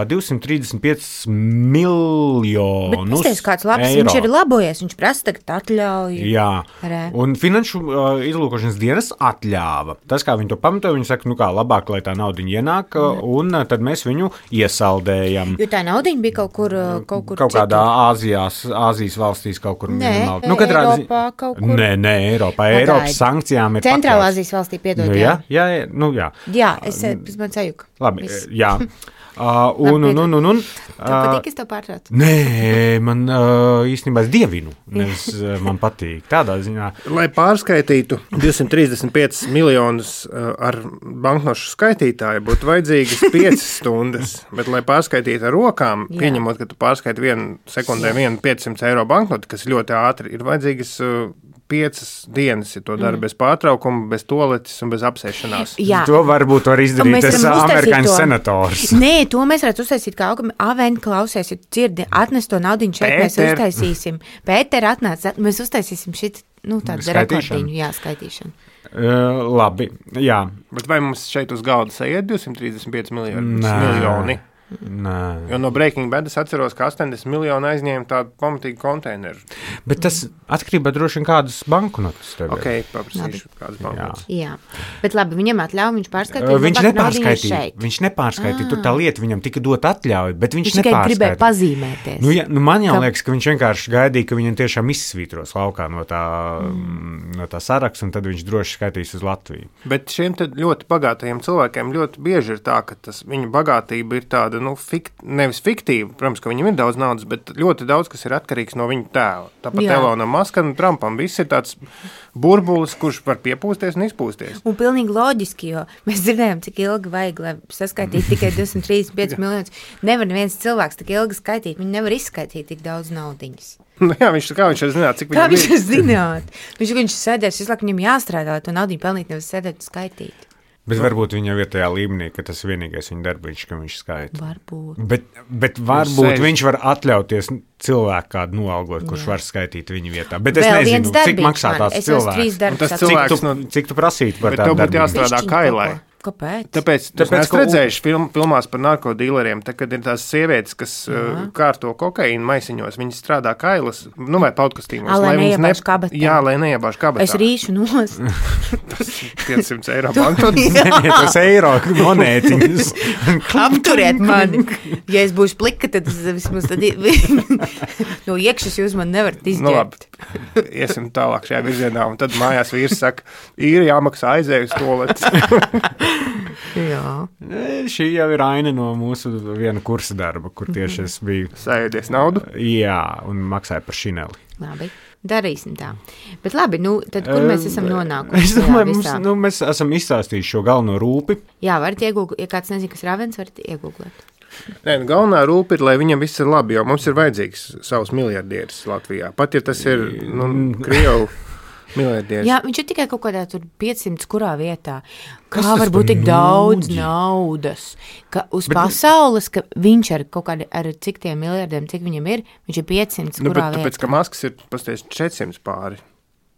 divsimt trīsdesmit pieci miljonus Bet es teicu, kāds labs, eiro. Viņš ir labojies, viņš prasa tagad atļauju. Jā, Re. un finanšu uh, izlūkošanas dienas atļāva. Tas, kā viņi to pamatoja, viņi saka, nu kā, labāk, lai tā naudiņa ienāk, mm. un uh, tad mēs viņu iesaldējam. Jo tā naudiņa bija kaut kur, kaut kur Kaut kādā Āzijās, Āzijas valstīs kaut kur. Nē, minimāli. nu, Eiropā kaut kur. Nē, nē, Eiropā. Pagaid. Eiropas sankcijām ir Centrālā pakļauts. Azijas valstī piedod. Nu, jā, jā, jā, nu jā. Jā, es, es man sajuku. Labi, Viss. jā. Uh, un, un, un, un, un, Tev patīk, es tev pārtraucu? Nē, man uh, īstenībā es dievinu. Es, uh, man patīk tādā ziņā. Lai pārskaitītu divsimt trīsdesmit piecus miljonus uh, ar banknošu skaitītāju, būtu vajadzīgas piecas stundas. Bet, lai pārskaitītu ar rokām, Jā. pieņemot, ka tu pārskaiti vienu sekundē vienu piecsimt eiro banknoti, kas ļoti ātri ir vajadzīgas uh, piecas dienas, ja to dara mm. bez pārtraukuma, bez toaletes un bez apsēšanās. Jā. To varbūt var izdarīt Mēs tas varam uztaisīt amerikāņu to. senators. Nē, to mēs varētu uztaisīt kā Aven klausies, ja dzirdi, atnes to naudiņu šeit, mēs Pēter. uztaisīsim. Pēter atnāc, mēs uztaisīsim šit, nu, tādu Skaitīšanu. rekordiņu, jā, skaitīšanu. Uh, labi, jā. Bet vai mums šeit uz galda sajiet divsimt trīsdesmit pieci miljoni? Nē. miljoni? Nē. Jo no Breaking Bad es atceros, ka astoņdesmit miljoni aizņēma tādu pamatīgu konteineru. Bet tas atkarībā droši vien kādas banknotes tev ir. Ok, paprasīšu kādas banknotes. Jā, bet labi, viņam atļauj, viņš pārskaitīja. Uh, viņš labāk naudiņu nepārskaitīja. šeit. Viņš nepārskaitīja. Tur tā lieta viņam tika dot atļauju, bet viņš, Viņš tikai gribēja nepārskaitīja. pazīmēties. Nu, ja, nu man jau Ka- liekas, ka viņš vienkārši gaidīja, ka viņam tiešām izsvītros laukā no tā, mm. no tā saraksta, un tad viņš droši skaitīs uz Latviju. Bet šiem te ļoti bagātajiem cilvēkiem ļoti bieži ir tā, ka tas viņu bagātība ir tāda, nu, fikt, nevis fiktīva, protams, ka viņam ir daudz naudas, bet ļoti daudz, kas ir atkarīgs no viņa tēla. Tāpat Jā. Elonam Maskam un Trumpam viss ir tāds burbulis, kurš var piepūsties un izpūsties. Un pilnīgi loģiski, jo mēs dzirdējām, cik ilgi vajag, lai saskaitītu tikai divsimt trīsdesmit pieci miljonus. Nevar neviens cilvēks tik ilgi skaitīt, viņi nevar izskaitīt tik daudz naudiņas. Nu, jā, viņš, kā viņš zināt, cik Kā viņam viņš ir. to zināt? Viņš, viņš sēdēs, visu laiku viņam jāstrādā, to naudiņu pelnīt, nevis sēdēt un skaitīt. Bet varbūt viņa jau ir tajā līmenī, ka tas ir vienīgais viņa darbiņš, ka viņš skaita. Varbūt. Bet, bet varbūt sēž. viņš var atļauties cilvēku kādu noalgot, kurš Jā. var skaitīt viņa vietā. Bet es Vēl viens nezinu, cik darbiņš maksā man. tās Es esmu trīs cilvēks. Un darbus tas Cik cilvēks tu, no- cik tu prasītu par Bet tādu tev būtu darbiņu? jāstrādā Bišķiņ kailai. kaut ko. Kāpēc? Tāpēc, Tāpēc, Tāpēc es ka- redzēju film, filmās par narkodīleriem, tā, kad ir tās sievietes, kas Jā. uh, kārto kokaīnu maisiņos, viņas strādā kailas, nu vai paudkastīmos. Ā, lai viņas neiebāž kabatā. Jā, lai neiebāž kabatā. Es rīšu nos. piecsimt eiro banknotes. Nē, tas eiro monētiņas. Apturiet mani. Ja es būšu plika, tad es vismaz tad no iekšas jūs man nevarat Nu, labi. izģērbt. Iesim tālāk šajā virzienā, un tad mājās vīrs saka, ir jāmaksā aizēju uz toaletes. Jā. Šī jau ir aina no mūsu viena kursa darba, kur tieši es biju. Sēdies naudu. Jā, un maksāju par šineli. Labi. Darīsim tā. Bet labi, nu, tad kur mēs esam nonākuši? Es šajā domāju, mums, visā? nu, mēs esam izstāstījuši šo galveno rūpi. Jā, varat iegūglēt. Ja kāds nezina, kas ir Ravens, varat iegūglēt. Nē, nu, galvenā rūpa ir, lai viņam viss ir labi, jo mums ir vajadzīgs savs miljardieris Latvijā. Pat ja tas ir, nu, Krievu miljardieris. Jā, viņš ir tikai kaut kādā tur piecsimt kurā vietā. Kā Kas tas var būt par tik daudz nūģi? naudas? Ka uz Bet- pasaules, ka viņš ar kaut kādu, ar cik tiem miljardiem, cik viņam ir, viņš ir piecsimt Nu, kurā bet, tāpēc, vietā. ka maskas ir pasties četrsimt pāri.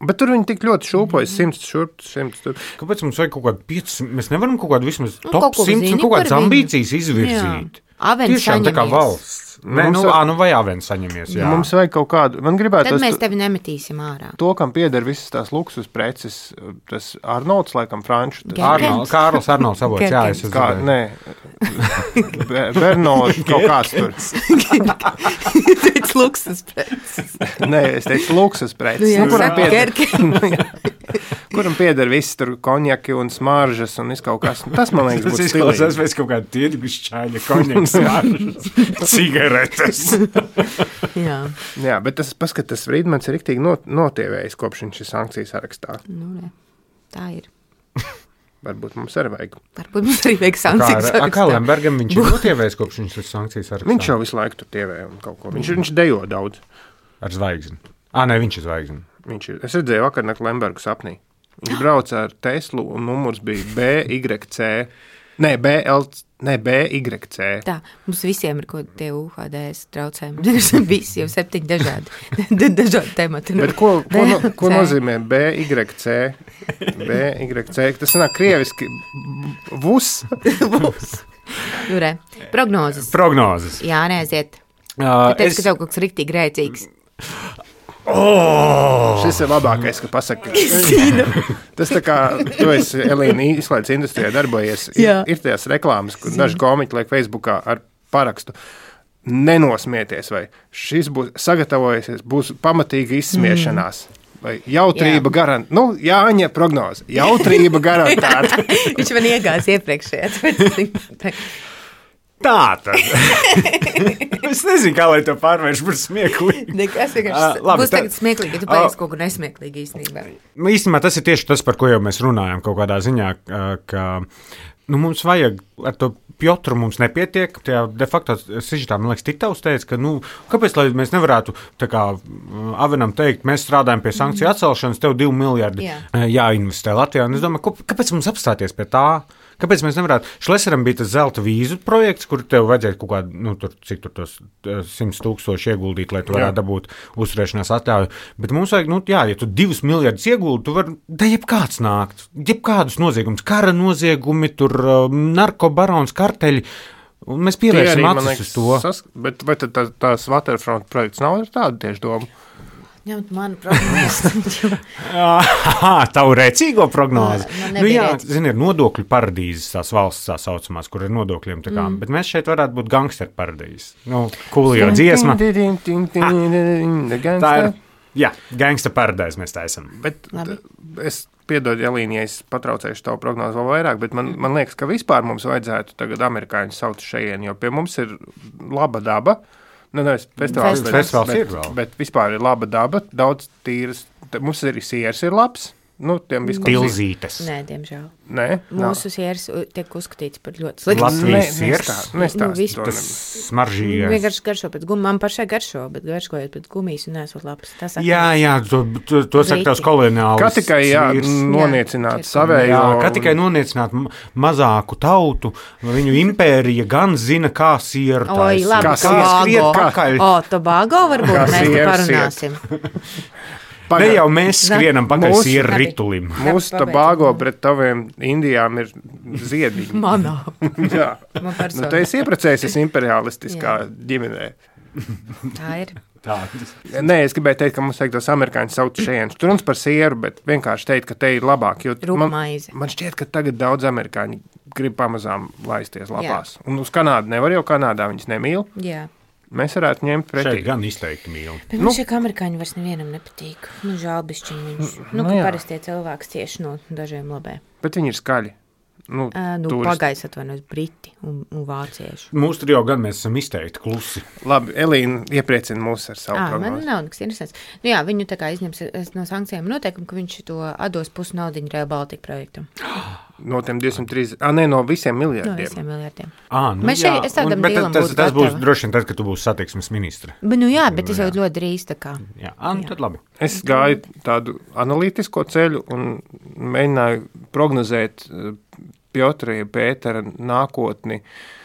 Bet tur viņi tik ļoti šūpojas, simts šurp, simts tur. Kāpēc mums vajag kaut kādu piecsimt? Mēs nevaram kaut kādu vismaz Nu, top kaut ko simts zini un kaut kādas par viņu. ambīcijas izvirzīt. Avens Tiešām tā kā saņemies. valsts. Nē, Mums nu, jau- ā, nu vai Avens saņemies, jā. Mums vajag kaut kādu, man gribētu Tad mēs tevi nemetīsim ārā. to, kam pieder visas tās luksus preces, tas Arnolds, laikam, franču. Tas, Gerkens. Arnold, Kārlis Arnolds avots, jā, es Gerkens. esmu. kā, nē, Be- Bernolds kaut kāds tur. Teic luksas preces. Nē, es teicu luksus preces. Nu, jā, Nu, kuram saka, pieder- Gerkens. Kuram pieder viss tur konjaki un smaržas un viss kaut kas. Nu, Tas, man liekas, Tas būtu izklausās stilīgi. pēc kaut kāda tirgus čaļa, konjaks, cigaretes. Jā, Jā, bet tas, paskat, tas Friedmans ir riktīgi not, notievējis, kopš viņš ir sankcijas sarakstā. nu, ne. Tā ir. Varbūt mums arī vajag. Varbūt mums arī vajag Kā, sankcijas ar- a, kā sarakstā. Lembergam viņš ir notievējis, kopš viņš ir sankcijas sarakstā? Viņš jau visu laiku tur tievē un kaut ko. Viņš, viņš dejo daudz. Ar zvaigzni. Ā, nē, viņš ir zvaigzni. Viņš ir, es redzēju vakarnakt Lembergu sapnī. Viņš brauca ar Teslu un numurs bija B Y C. Nē, B L C. Nē, B Y C. Tā, mums visiem ir kaut kādi U H D S traucējumi. Visi jau septiņi dažādi, dažādi temati. Bet ko, ko, no, ko nozīmē B Y C? B Y C, tas nāk krieviski vus. Vus. Nu, re, prognozes. Prognozes. Jā, neaiziet. Uh, Tu teici, es... ka tev kaut kas riktīgi grēcīgs. Oh! Šis ir labākais, ka pasaka. Tas tā kā tu esi, Elīna, izklaides industrijā darbojies. Ir, ir tās reklāmas, kur daži komiķi liek Facebookā ar parakstu. Nenosmieties, vai šis būs sagatavojies, būs pamatīga izsmiešanās. Vai jautrība garantēta. Nu, Jāņa prognoze. Jautrība garantēta. Viņš man iegās iepriekšējā. Tā tad. Es nezinu, kā lai to pārvērš par smieklīgu. Nekas vienkārši Uh, labi, būs tā- tagad smieklīgi, ja tu pateiksi kaut ko nesmieklīgi īstenībā. Īstenībā tas ir tieši tas, par ko jau mēs runājam kaut kādā ziņā, uh, ka nu, mums vajag ar to Piotru mums nepietiek. Tajā de facto sižetā, man liekas, Titavs teica, ka, nu, kāpēc lai mēs nevarētu, tā kā uh, Avenam teikt, mēs strādājam pie sankciju atcelšanas, tev divi miljardi Jā. uh, jāinvestē Latvijā. Un es domāju, ko, kāpēc mums apstāties pie tā? Kāpēc mēs nevarētu? Šleseram bija tas zelta vīzu projekts, kur tev vajadzēja kaut kādu, nu, tur, cik tur tos simts tūkstoši ieguldīt, lai tu varētu jā. dabūt uzturēšanās atļauju. Bet mums vajag, nu, jā, ja tu divus miljardus ieguldi, tu vari, da jebkāds nākt, jebkādus noziegumus, kara noziegumi, tur narkobarons, karteļi, un mēs pievērsim acis uz to. Sas, bet vai tad tā, tās Waterfront projekts nav ar tādu tieši domu? Ņemt manu prognozi. Tavu rēcīgo prognozi. Man Nu, nebija jā, rēcīgs. zini, ir nodokļu paradīzes, tās valsts tā saucamās, kur ir nodokļiem. Tā kā, mm. Bet mēs šeit varētu būt gangsteru paradīzes. Nu, Coolio dziesma. Tā ir, jā, gangsteru paradīzes mēs tā esam. Bet Labi. es piedodu, Elīna, ja es patraucēšu tavu prognozi vēl vairāk, bet man, man liekas, ka vispār mums vajadzētu tagad amerikāņus saukt šajien, jo pie mums ir laba daba. Nu, nevis festivāls, bet, Festivāls bet, ir vēl. bet vispār ir laba daba, daudz tīras. T- Mums arī sieras ir labs. Nu, tiem viskam Tilzītes. Nē, diemžēl. Nē, nav. Mūsu sieras u- tiek uzskatīts par ļoti sliktu. Latvijas Nē, siers. nestā- Nu, nestāst viss to Tas nemaz. smaržīgais. Vienkārši garšo pēc gumijas. Man pašai garšo, bet garšojot pēc gumijas un nesot labs. Tas saka, Jā, jā, to, to, to saka tavs koloniāls. Kā tikai jā, vīrs. noniecināt Jā. savējo. Jā, kā tikai noniecināt ma- mazāku tautu, viņu impērija gan zina, kā sieru Oi, taisīt. labi, Kā skriet Tobago. pakaļ. O, Tobago varbūt Kā mēs te sieras parunāsim. Ne jau mēs skrienam pakaļ Mūsu- sieru Labi. ritulim. Mūsu Labi, Tobago pabeidz. pret taviem Indijām ir ziediņi. Manā. Jā. Man Nu, personīgi. tu esi iepriecējies imperialistiskā ģimenē. Tā ir. Tādas. Nē, es gribēju teikt, ka mums vajag tos amerikāņus saukt šeit. Tur runas par sieru, bet vienkārši teikt, ka te ir labāk. Jo man, Rupmaize. man šķiet, ka tagad daudz amerikāņu grib pamazām laisties lapās. Un uz Kanādu nevar, jo Kanādā viņas nemīl. Jā. Mēs varētu ņemt Šeit pretī. gan izteikti mīl. Bet man šie amerikāņi vairs nevienam nepatīk. Nu, žēl bišķiņ viņus. Nu, Nu, ka jā. parastie cilvēki cieši no dažiem labē. Bet viņi ir skaļi. Nu, Uh, nu, turisti. pagājis atvainojos briti un, un vācieši. Mūsu tur jau gan mēs esam izteikti klusi. Labi, Elīna iepriecina mūs ar savu À, man prognozi. nav nekas interesants. Nu, jā, viņu tā kā izņems es no sankcijām noteikumu, ka viņš to atdos pusi naudiņu Rail Baltica projektam. No tiem divsimt trīsdesmit, ah, nē, no visiem No miljardiem. visiem miljardiem. À, nu, Mēs jā, šeit- es tādam un- bet dīlam tas, būtu tas būs gatava. droši vien tad, kad tu būsi satiksmes ministre. Bet, nu jā, bet tas Jā. jau ļoti drīz tā kā. Jā, à, nu, Jā. tad labi. Es gāju tādu analītisko ceļu un mēģināju prognozēt eh, Piotra, ja Pētera nākotni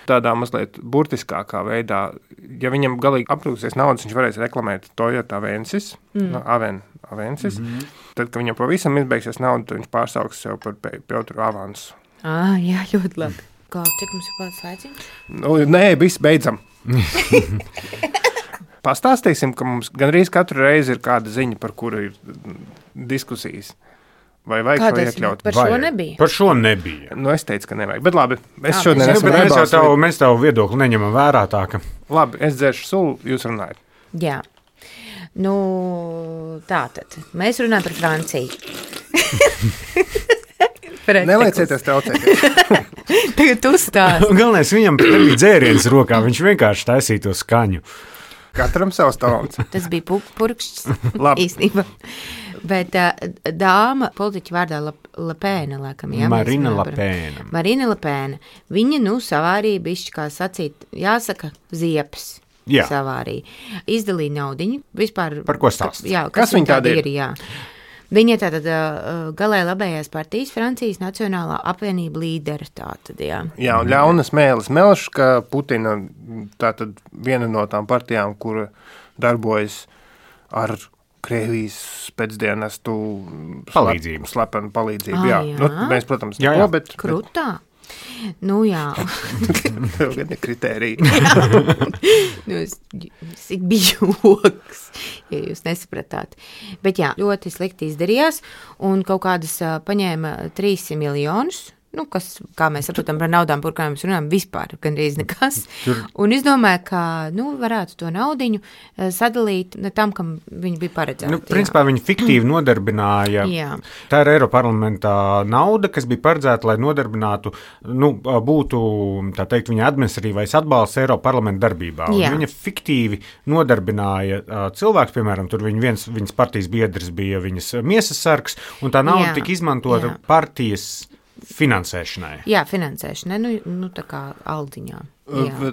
tādā mazliet burtiskākā veidā. Ja viņam galīgi aprūksies naudas, viņš varēs reklamēt Toyota Avensis, mm. no, Aven, Avensis. Mm-hmm. Tad, kad viņam pavisam izbeigsies nauda, tad viņš pārsauks sev par Pe- Piotru Avansu. Ah, jā, ļoti labi. Kā, cik mums ir pats laiciņš? Nu, nē, viss beidzam. Pastāstīsim, ka mums gandrīz katru reizi ir kāda ziņa, par kuru ir mm, diskusijas. Vai vajag šo Kādas iekļaut? par šo Vajag. nebija? Par šo nebija. Nu, es teicu, ka nevajag. Bet labi, es Ah, šodien bet- esmu Bet mēs jau nebalsojis. tavu, mēs tavu viedokli neņemam vērā tā, ka Labi, es dzeršu sulu, jūs runājat. Jā. Nu, tā tad. Mēs runājam par Franciju. Neliecieties traucēt. Tagad tu stāsti. galvenais viņam nebija dzēriens rokā, viņš vienkārši taisīja to skaņu. Katram savs talants. Tas bija pu- purkšķis Labi. īstenībā. Bet uh, dāma politiķa vārdā Lepēna, laikam, jā. mēs Marina runājam par- Lepēna. Marina Lepēna. Viņa, nu, savārīja bišķi, kā sacīt, jāsaka, ziepes. Jā. Savārīja. Izdalīja naudiņu. Vispār. Par ko stāst? Jā, Kas kas viņa viņa tāda tāda ir? ir, jā. Viņa ir tātad uh, galēji labējās partijas Francijas Nacionālā apvienība līdera. Tātad, jā. jā, un ļaunas mēlis melš, ka Putina tātad viena no tām partijām, kura darbojas ar Krievijas pēcdienestu palīdzību. Slepenu palīdzību. Ah, jā. jā. Nu, mēs, protams, jā, neko, jā. bet... Krutā. Nu jā. Tev gan ir kritērija. nu, es, es bija joks, ja jūs nesapratāt. Bet jā, ļoti slikti izdarījās un kaut kādas uh, paņēma trīssimt miljonus. Nu, kas, kā mēs saprotam par naudām, par kurām mēs runājam, vispār gandrīz nekas. Tur... Un es domāju, ka nu, varētu to naudiņu sadalīt tam, kam viņi bija paredzēti. Nu, principā viņi fiktīvi nodarbināja. Jā. Tā ir Eiroparlamentā nauda, kas bija paredzēta, lai nodarbinātu, nu, būtu, tā teikt, viņa administratīvais atbalsts Eiroparlamenta darbībā. Un viņa fiktīvi nodarbināja uh, cilvēks, piemēram, tur viņa viens, viņas partijas biedrs bija viņas miesas sargs, un tā nauda Jā. tika izmantota Jā. partijas finansēšanai. Jā, finansēšanai, nu, nu tā kā aldiņā. Jā.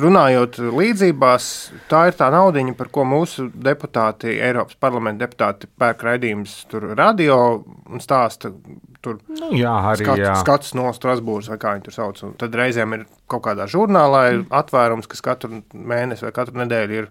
Runājot līdzībās, tā ir tā naudiņa, par ko mūsu deputāti, Eiropas parlamenta deputāti pērk raidījums tur radio un stāsta tur Nu, jā, arī, skats, jā. skats no Strasbūras vai kā viņi tur sauc. Un tad reizēm ir kaut kādā žurnālā ir atvērums, kas katru mēnesi vai katru nedēļu ir.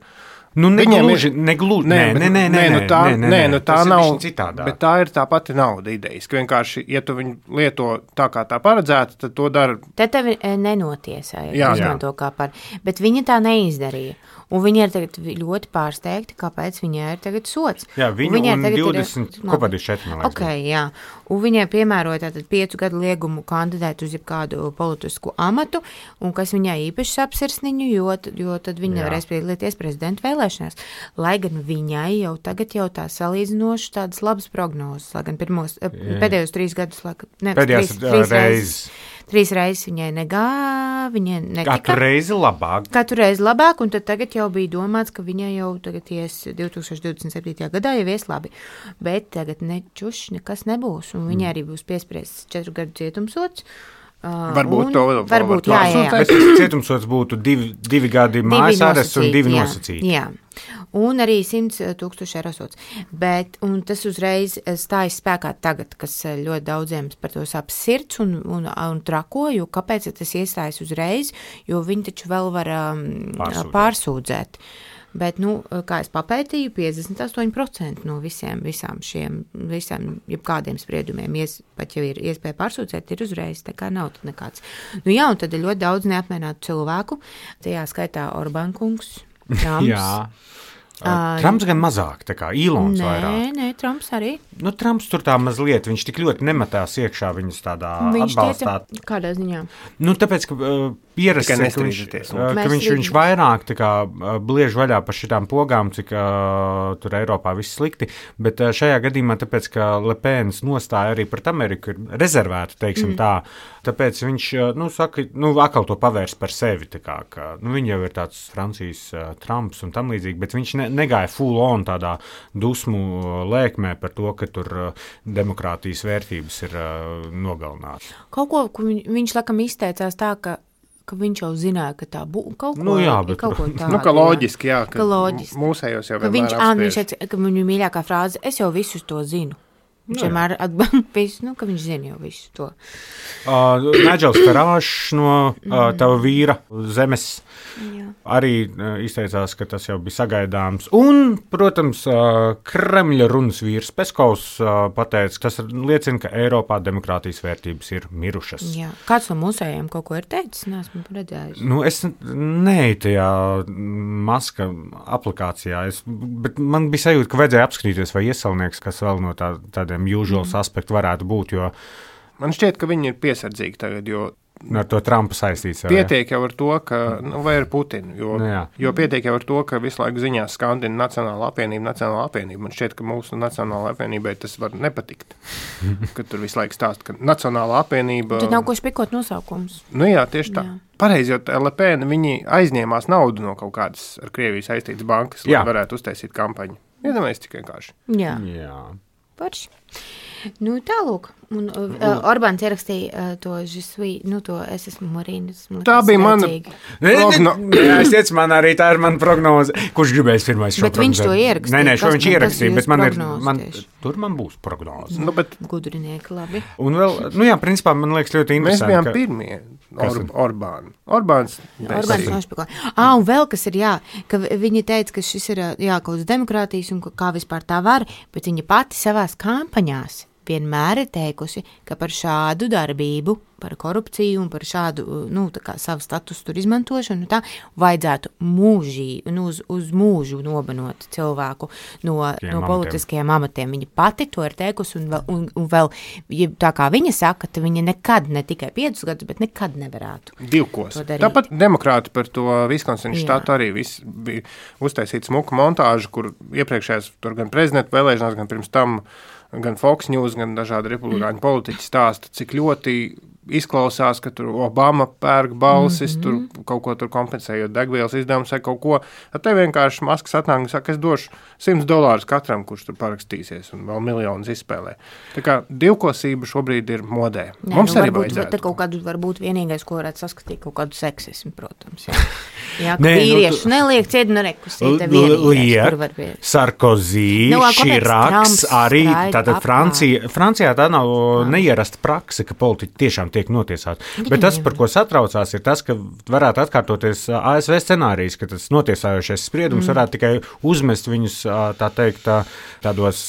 Nu, Viņiem negluži, ir- negluži, Nē, nē, bet- nē, nē, nē, nu tā, nē, nē, nē, nu tā tas nav, ir bišķiņ citādāk. bet tā ir tā pati nauda idejas, ka vienkārši, ja tu viņu lieto tā kā tā paredzēta, tad to dara. Te tevi e, nenotiesāja, Jā. izmanto kā par, bet viņa tā neizdarīja. Un viņi ir tagad ļoti pārsteigti, kāpēc viņai ir tagad sots. Jā, viņu viņai un tagad ir- divdesmit, kopā divdesmit četri, man liekas. Ok, jā. Un viņai piemēroja tātad piecu gadu liegumu kandidēt uz jebkādu politisku amatu, un kas viņai īpaši apsirsniņu, jo, jo tad viņa Jā. nevarēs piedalīties prezidenta vēlēšanās. Lai gan viņai jau tagad jau tā salīdzinoši tādas labas prognozes, lai gan pirmos, Jā. pēdējos trīs gadus, lai, ne, Pēdējās trīs, trīs reizes. reizes. Trīs reizes viņai negā, viņai netika. Katru reizi labāk. Katru reizi labāk, un tad tagad jau bija domāts, ka viņai jau tagad ies divtūkstoš divdesmit septītajā gadā jau ies labi. Bet tagad nečuši nekas nebūs, un viņai arī būs piespriests četru gadu cietumsots. Uh, Varbūt un- to vēl varbūt, var jā, jā, jā. Bet cietumsots būtu divi, divi gadi mājas arests un divi jā, nosacīti. Jā, un arī simts tūkstoši eiro sots. Bet, un tas uzreiz stājas spēkā tagad, kas ļoti daudziem par to sāp sirds un, un, un trako, jo kāpēc tas iestājas uzreiz, jo viņi taču vēl var um, Pārsūdzēt. pārsūdzēt. Bet, nu, kā es papētīju, piecdesmit astoņi procenti no visiem, visām šiem, visām, jebkādiem spriedumiem, ies, pat jau ir iespēja pārsūdzēt, ir uzreiz, tā kā nav tad nekāds. Nu jā, un tad ir ļoti daudz neapmierinātu cilvēku, tajā skaitā Orbán kungs, Trumps. Jā. Trumps gan mazāk, tā kā Ilons Nē, vairāk. nē, Trumps arī. Nu, Trumps tur tā mazliet, viņš tik ļoti nemetās iekšā viņas tādā Viņš atbalstā. teica, kādā ziņā? Nu, tāpēc, ka uh, pierasts, Tikai ir, ka viņš, nestrīdieties. uh, ka Mēs viņš, viņš strīdamies. vairāk tā kā, uh, bliež vaļā par šitām pogām, cik uh, tur Eiropā viss slikti, bet uh, šajā gadījumā, tāpēc, ka Lepēnas nostāja arī pret Ameriku ir rezervēta, teiksim mm. tā, tāpēc viņš, uh, nu, saka, nu, atkal to pavērs par sevi, tā kā, ka, nu, viņš jau ir tāds Francijas uh, Trumps un tam līdzīgi, bet viņš ne, negāja full on tādā dusmu uh, lēkmē par to, ka tur uh, demokrātijas vērtības ir uh, nogalinātas. Kaut ko, ko viņ, viņš laikam izteicās tā, ka, ka viņš jau zināja, ka tā būs kaut ko, Nu jā, bet- kaut ko tādu. Nu, ka loģiski, jā, Ka loģiski. mūsējos jau Ka viņš, vienmēr ā, viņš apspriež. teica, ka viņu mīļākā frāze, es jau visus to zinu. Viņš Nu jā. vienmēr atbalsta, nu, ka viņš zina jau visu to. Uh, Nigels Farāžs no uh, tava vīra zemes Jā. arī uh, izteicās, ka tas jau bija sagaidāms. Un, protams, uh, Kremļa runas vīrs Peskovs uh, pateica, ka tas liecina, ka Eiropā demokrātijas vērtības ir mirušas. Jā. Kāds no mūsējiem kaut ko ir teicis? Nē, esmu redzējis. Nu, es neeju tajā maska aplikācijā, es, bet man bija sajūta, ka vajadzēja apskatīties, vai iesaulnieks, kas vēl no tā, tādiem usuals aspektu varētu būt, jo Man šķiet, ka viņi ir piesardzīgi tagad, jo ar to Trumpa saistīts. jau, jā. pietiek jau ar to, ka, nu, vai ar Putinu, jo, Nu jā. jo pietiek jau ar to, ka visu laiku ziņās skandina Nacionāla apvienība, Nacionāla apvienība. Man šķiet, ka mūsu Nacionāla apvienībai tas var nepatikt, ka tur visu laiku stāst, ka Nacionāla apvienība... Tad nav ko špikot nosaukums. Nu jā, tieši tā. Jā. Pareizi, jo Lepēna, viņi aizņēmās naudu no kaut kādas ar Krieviju saistītas bankas, lai Jā. varētu uztaisīt kampaņu. Iedomājies tik vienkārši. Jā, Jā. parši. Nu, tālūk. Un uh, Orbāns ierakstīja uh, to žisui, nu to es esmu Marīnas. Tā bija mana prognoze. Es teicu, man arī tā ir mana prognoze. Kurš gribēs pirmais šo bet prognozi? Viņš to ierakstīja. Nē, nē, šo viņš ierakstīja, bet man ir, man, tieši? Tur man būs prognoze. Nu, bet... Gudrinieki, labi. Un vēl, nu jā, principā man liekas ļoti interesanti. Mēs bijām ka... pirmie. Or, Orbāni. Orbāns. Orbāns nošpikoja. Ā, un vēl kas ir, jā, ka viņi teica, ka šis ir, jā, kaut kas demokrātijas un kā vispār tā var, bet viņa pati savās kampaņās vienmēr ir teikusi, ka par šādu darbību, par korupciju un par šādu, nu, tā kā savu statusu tur izmantošanu, tā vajadzētu mūžī, nu, uz, uz mūžu nobanot cilvēku no, no politiskajiem amatiem. Viņa pati to ir teikusi un vēl, un, un vēl ja tā kā viņa saka, ka viņa nekad, ne tikai piecus gadus, bet nekad nevarētu. Divkos. Tāpat demokrāti par to Viskonsina štatu arī viss bija uztaisīt smuku montāžu, kur iepriekšējās tur gan prezidenta vēlēšanās, gan pirms tam gan Fox News, gan dažādi republikāņu politiķi stāsta, cik ļoti izklausās, ka tur Obama pērk balsis, mm-hmm. tur kaut ko tur kompensējot degvielas izdevumus vai kaut ko. Tad te vienkārši Masks atnāk un saka, es došu simts dolārus katram, kurš tur parakstīsies un vēl miljonus izspēlē. Tā kā divkosība šobrīd ir modē. Nē, Mums nu, arī varbūt, vajadzētu. Te kaut kādu varbūt vienīgais, ko varētu saskatīt, kaut kādu seksismu, protams. Jā, jā ka Nē, vīrieši nu, tu... neliek ciet, nu rekusīte vienīgais, kur var būt. Sarkozy, Nu, Širaks, arī tātad apkārt. Francija, Francijā tā nav neierasta prakse, ka politiķi tiešām tiek notiesāti. Bet tas, par ko satraucās, ir tas, ka varētu atkārtoties A S V scenārijs, ka tas notiesājošais spriedums mm. varētu tikai uzmest viņus, tā teikt, tādos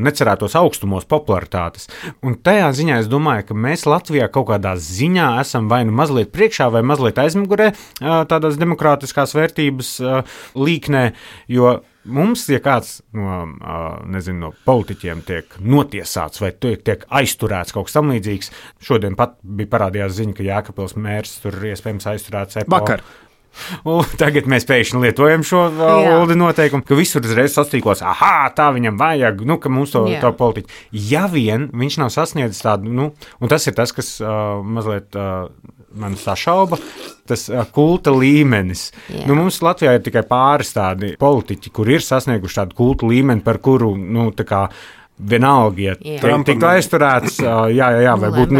necerētos augstumos popularitātes. Un tajā ziņā es domāju, ka mēs Latvijā kaut kādā ziņā esam vai nu mazliet priekšā, vai mazliet aizmugurē tādās demokrātiskās vērtības līknē, jo mums, ja kāds no, nezinu, no politiķiem tiek notiesāts vai tiek, tiek aizturēts kaut kas tam līdzīgs, šodien pat bija parādījās ziņa, ka Jēkabpils mērs tur iespējams aizturēts E P O. Vakar. Un tagad mēs pēkšņi lietojam šo Uldi noteikumu, ka visur uzreiz sastīkos, aha, tā viņam vajag, nu, ka mums to, to politiķi. Ja vien viņš nav sasniedzis tādu, nu, un tas ir tas, kas uh, mazliet uh, man sašauba, tas uh, kulta līmenis. Jā. Nu, mums Latvijā ir tikai pāris tādi politiķi, kur ir sasnieguši tādu kulta līmeni, par kuru, nu, tā kā vienalga, ja Trumpam tiktu aizturēts, jā, jā, jā, vai būtu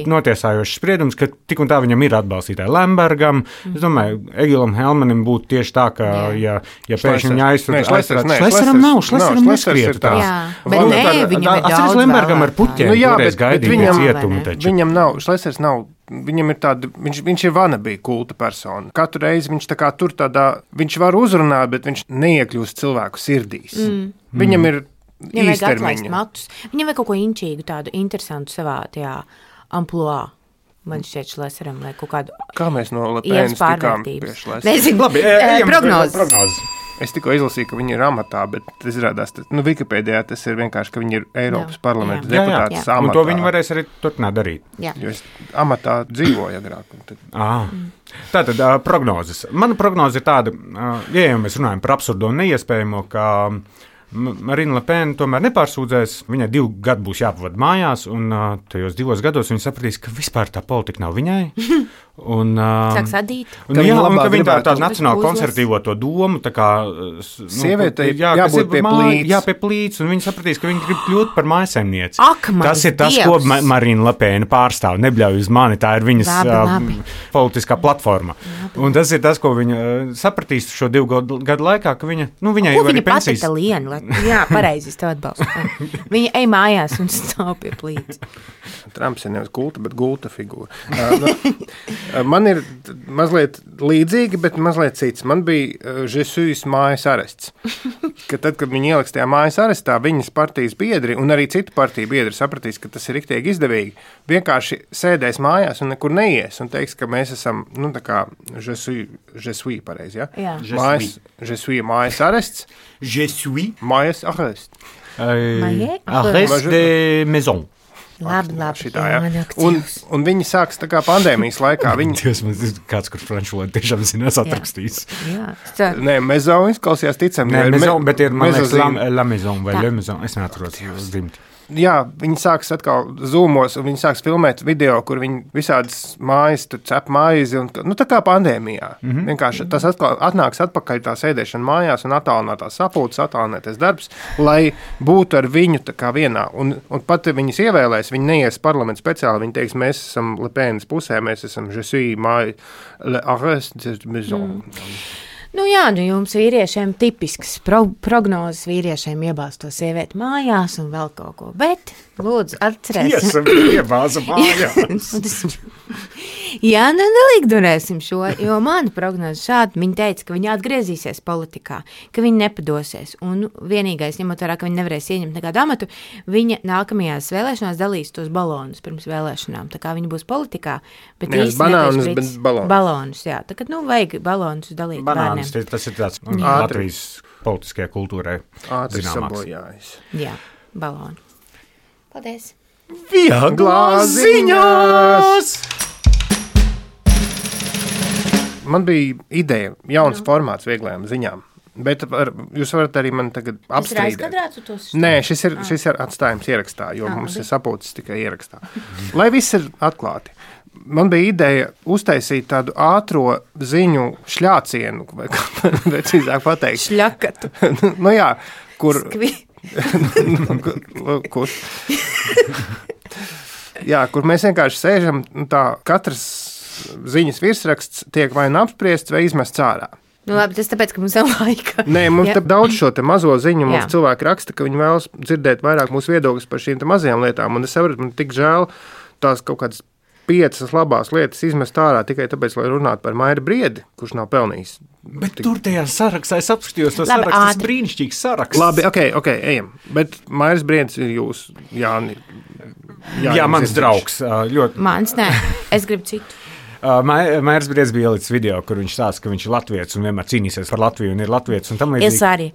notiesājošs spriedums, ka tik un tā viņam ir atbalstītāji Lembergam. Mm. Es domāju, Egilam Helmanim būtu tieši tā, ka, jā. ja, ja pēkšņi viņa aizturēts, Šleseram nav, Šleseram neskriet tā. Jā, bet nē, viņam ir daudz Lembergam ar puķiem, nu, jā, toreiz gaidīja viņam, cietumu taču. Viņam nav, Šlesers nav, viņam ir tāda, viņš, viņš ir vanabī kulta persona. Katru reizi viņš tā kā tur tādā, viņš var uzrunāt, bet viņš neiekļūst cilvēku sirdīs. Mm. Viņam ir Viņam vajag atlaist matus. Viņam vajag kaut ko inčīgu, tādu interesantu savā tajā amploā. Man šķiet Šleseram, lai kaut kādu... Kā mēs no Lepēnas tikām pie Šlesera? Nezinu, Labi, ejam, prognozes. prognozes. Es tikko izlasīju, ka viņi ir amatā, bet tas izrādās, nu, Wikipēdijā tas ir vienkārši, ka viņi ir Eiropas jā, parlamenta jā. deputātas jā, jā. amatā. Un to viņi varēs arī turpināt darīt. Jā. Jo es amatā dzīvoju agrāk. Tad... Ah. Tātad uh, prognozes. Mana prognoze ir tāda, uh, ja jau mēs runājam par absurdo un neiespējamo, ka Marina Lepēna tomēr nepārsūdzēs, viņai divu gadu būs jāpavada mājās, un uh, tajos divos gados viņa sapratīs, ka vispār tā politika nav viņai. Un, uh, Sāks adīt. Un, jā, un ka viņa tā, tā nacionāli konservatīvo to domu, tā kā... Nu, sieviete ir jā, jābūt pie plīts. Jā, pie plīts, un viņa sapratīs, ka viņa grib kļūt par mājasemnieci. Ak, tas ir tas, Dievs. ko Ma Marina Lepēna pārstāv. Nebļauj uz mani, tā ir viņas labi, labi. Uh, politiskā platforma. Labi. Un tas ir tas, ko viņa uh, sapratīs šo divu gadu, gadu laikā, ka viņa, nu, viņai jau arī pensijas... Ko viņa patita lienu? Jā, pareizi, es tev atbalstu. Viņa ej mājās un stāv pie plīts. Trumps ir nevis kulta, bet gulta figūra. Uh, nu, man ir mazliet līdzīgi, bet mazliet cits. Man bija Žesujas mājas arests. Ka tad, kad viņi ieliks tajā mājas arestā, viņas partijas biedri un arī citu partiju biedri sapratīs, ka tas ir riktīgi izdevīgi. Vienkārši sēdēs mājās un nekur neies un teiks, ka mēs esam, nu, tā kā Žesuja pareizi, ja? Jā. Mājas, Žesuja mājas arests. Žesuja. Mājas arest. Arest de maison. Labi, labi. Šitā, ja. un, un viņi sāks tā kā pandēmijas laikā. Viņi... Dievs, man ir kāds, kur franču valodu tiešām zinās atrakstīs. Jā, jā. Nē, maison izklausījās ticam. Nē, maison, bet ir, man liekas, la, me, la maison vai tā. Le maison. Es neatros uz dzimti. Jā, viņi sāks atkal zūmos, un viņi sāks filmēt video, kur viņi visādas mājas, tur cep maizi, un, nu, tā kā pandēmijā. Mm-hmm. Vienkārši tas atkal atnāks atpakaļ tā sēdēšana mājās un attālinātās sapulces, attālināties darbs, lai būtu ar viņu tā kā vienā. Un, un pat viņas ievēlēs, viņi neies parlamentu speciāli, viņi teiks, mēs esam Le Penas pusē, mēs esam je suis māja, le arrest de maison. Mm. Nu jā, nu jums vīriešiem tipisks pro- prognozes vīriešiem iebāzt to sievieti mājās un vēl kaut ko, bet lūdzu atcerēsim. Tiesa iebāza mājās. Jā, nu nelikdurēsim šo, jo mana prognoze šādi, viņa teica, ka viņa atgriezīsies politikā, ka viņa nepadosies, un vienīgais, ņemot vērā, ka viņa nevarēs ieņemt nekādu amatu, viņa nākamajās vēlēšanās dalīs tos balonus pirms vēlēšanām, tā kā viņa būs politikā, bet Nevis īsti banānus, nebūs bet balonus. Balonus, jā, tā kā, nu, vajag balonus dalīt bērniem. Banāns, tas ir tāds nu, Jā. Latvijas politiskajā kultūrē Ātri zināmāks. sabojājis. Jā, baloni. Paldies! Vieglās ziņās! Man bija ideja, jauns no. formāts vieglajām ziņām, bet ar, jūs varat arī man tagad apstrīdēt. Tas ir aizkadrāts? Nē, šis ir, šis ir atstājums ierakstā, jo ah, mums ir sapulces tikai ierakstā. Lai viss ir atklāti. Man bija ideja uztaisīt tādu ātro ziņu šļācienu, vai kā precīzāk pateikt. Šļakatu. Nu jā, kur... Skvi. kur? Jā, kur mēs vienkārši sēžam, nu tā, katrs ziņas virsraksts tiek vai nu apspriests vai izmests ārā. Nu labi, tas tāpēc, ka mums nav laika. Nē, mums Jā. te daudz šo te mazo ziņu, mums Jā. cilvēki raksta, ka viņi vēlas dzirdēt vairāk mūsu viedokļus par šīm te mazajām lietām, un es saprotu, man tik žēl tās kaut kādas piecas labās lietas izmest ārā tikai tāpēc, lai runātu par Mairi Briedi, kurš nav pelnījis. Bet tur tajā sarakstā es apskatījos to Labi, sarakstu, tas ātri. brīnišķīgs saraksts. Labi, ok, ok, ejam. Bet Mairis Briedis ir jūs, Jāni. Jā, Jā mans draugs. Ļoti. Mans, nē, es gribu citu. Mairis Briedis bija ielicis video, kur viņš stāsta, ka viņš ir latviets un vienmēr cīnīsies par Latviju un ir latviets. Un tam līdzīgi. Es arī.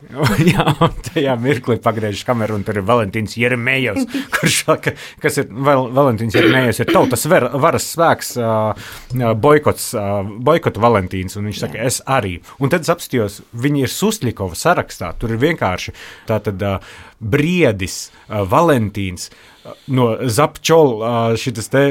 Jā, un tajā mirklī pagriežas kameru un tur ir Valentīns Jeremejevs, kurš, ka, kas ir, Val, Valentīns Jeremejevs ir tautas ver, varas spēks, uh, boikots, uh, boikotu Valentīns, un viņš saka, Jā. es arī. Un tad es apstījos, viņi ir Susļikova sarakstā, tur ir vienkārši tātad uh, Briedis, uh, Valentīns, no Zapčola šitas te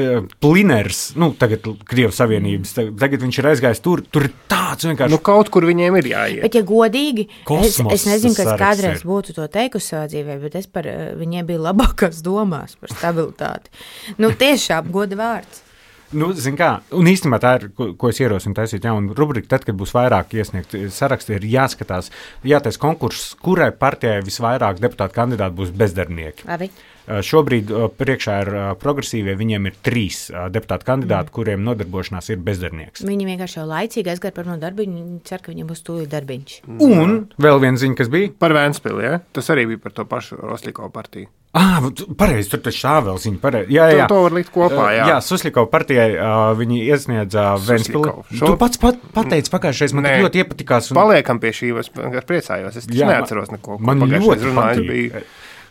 Pliners, nu, tagad Krievijas Savienības, tagad viņš ir aizgājis tur, tur ir tāds vienkārši. Nu, kaut kur viņiem ir jāiet. Bet, ja godīgi, Kosmos, es, es nezinu, tas kas saraksts kādreiz ir. būtu to teikusi savā dzīvē, bet es par viņiem biju labākās domās par stabilitāti. Nu, tiešām goda vārds. Nu, zin kā, un īstenībā tā ir, ko, ko es ierosinu taisīt jaunu rubriku, tad, kad būs vairāk iesniegt saraksti, ir jāskatās, jātais konkurss, kurai partijai visvairāk deputātu kandidāti būs bezdarbnieki. Labi. Šobrīd priekšā ir progresīvie, viņiem ir trīs deputātu kandidāti, mm. kuriem nodarbošanās ir bezdarbnieks. Viņi vienkārši jau laicīgi aizgāja par no darbiņu, viņi cer, ka viņiem būs tūlīt darbiņš. Un vēl viena ziņa, kas bija? Par Vēnspili, ja? Tas arī bija par to pašu Rosļikovu partiju. Ah, pareizi, tur taču tā vēl ziņa. Pareizi. Jā, jā, jā. To, to var likt kopā, jā. Jā, Susļikova partijai uh, viņi iesniedza Vēnspili. Šo... Tu pats pat, pateici pagājušais, man tik ļoti iepatikās. Un... Paliekam pie šī, es priecājos, es taču neatceros neko. Man ļoti runāju, bija...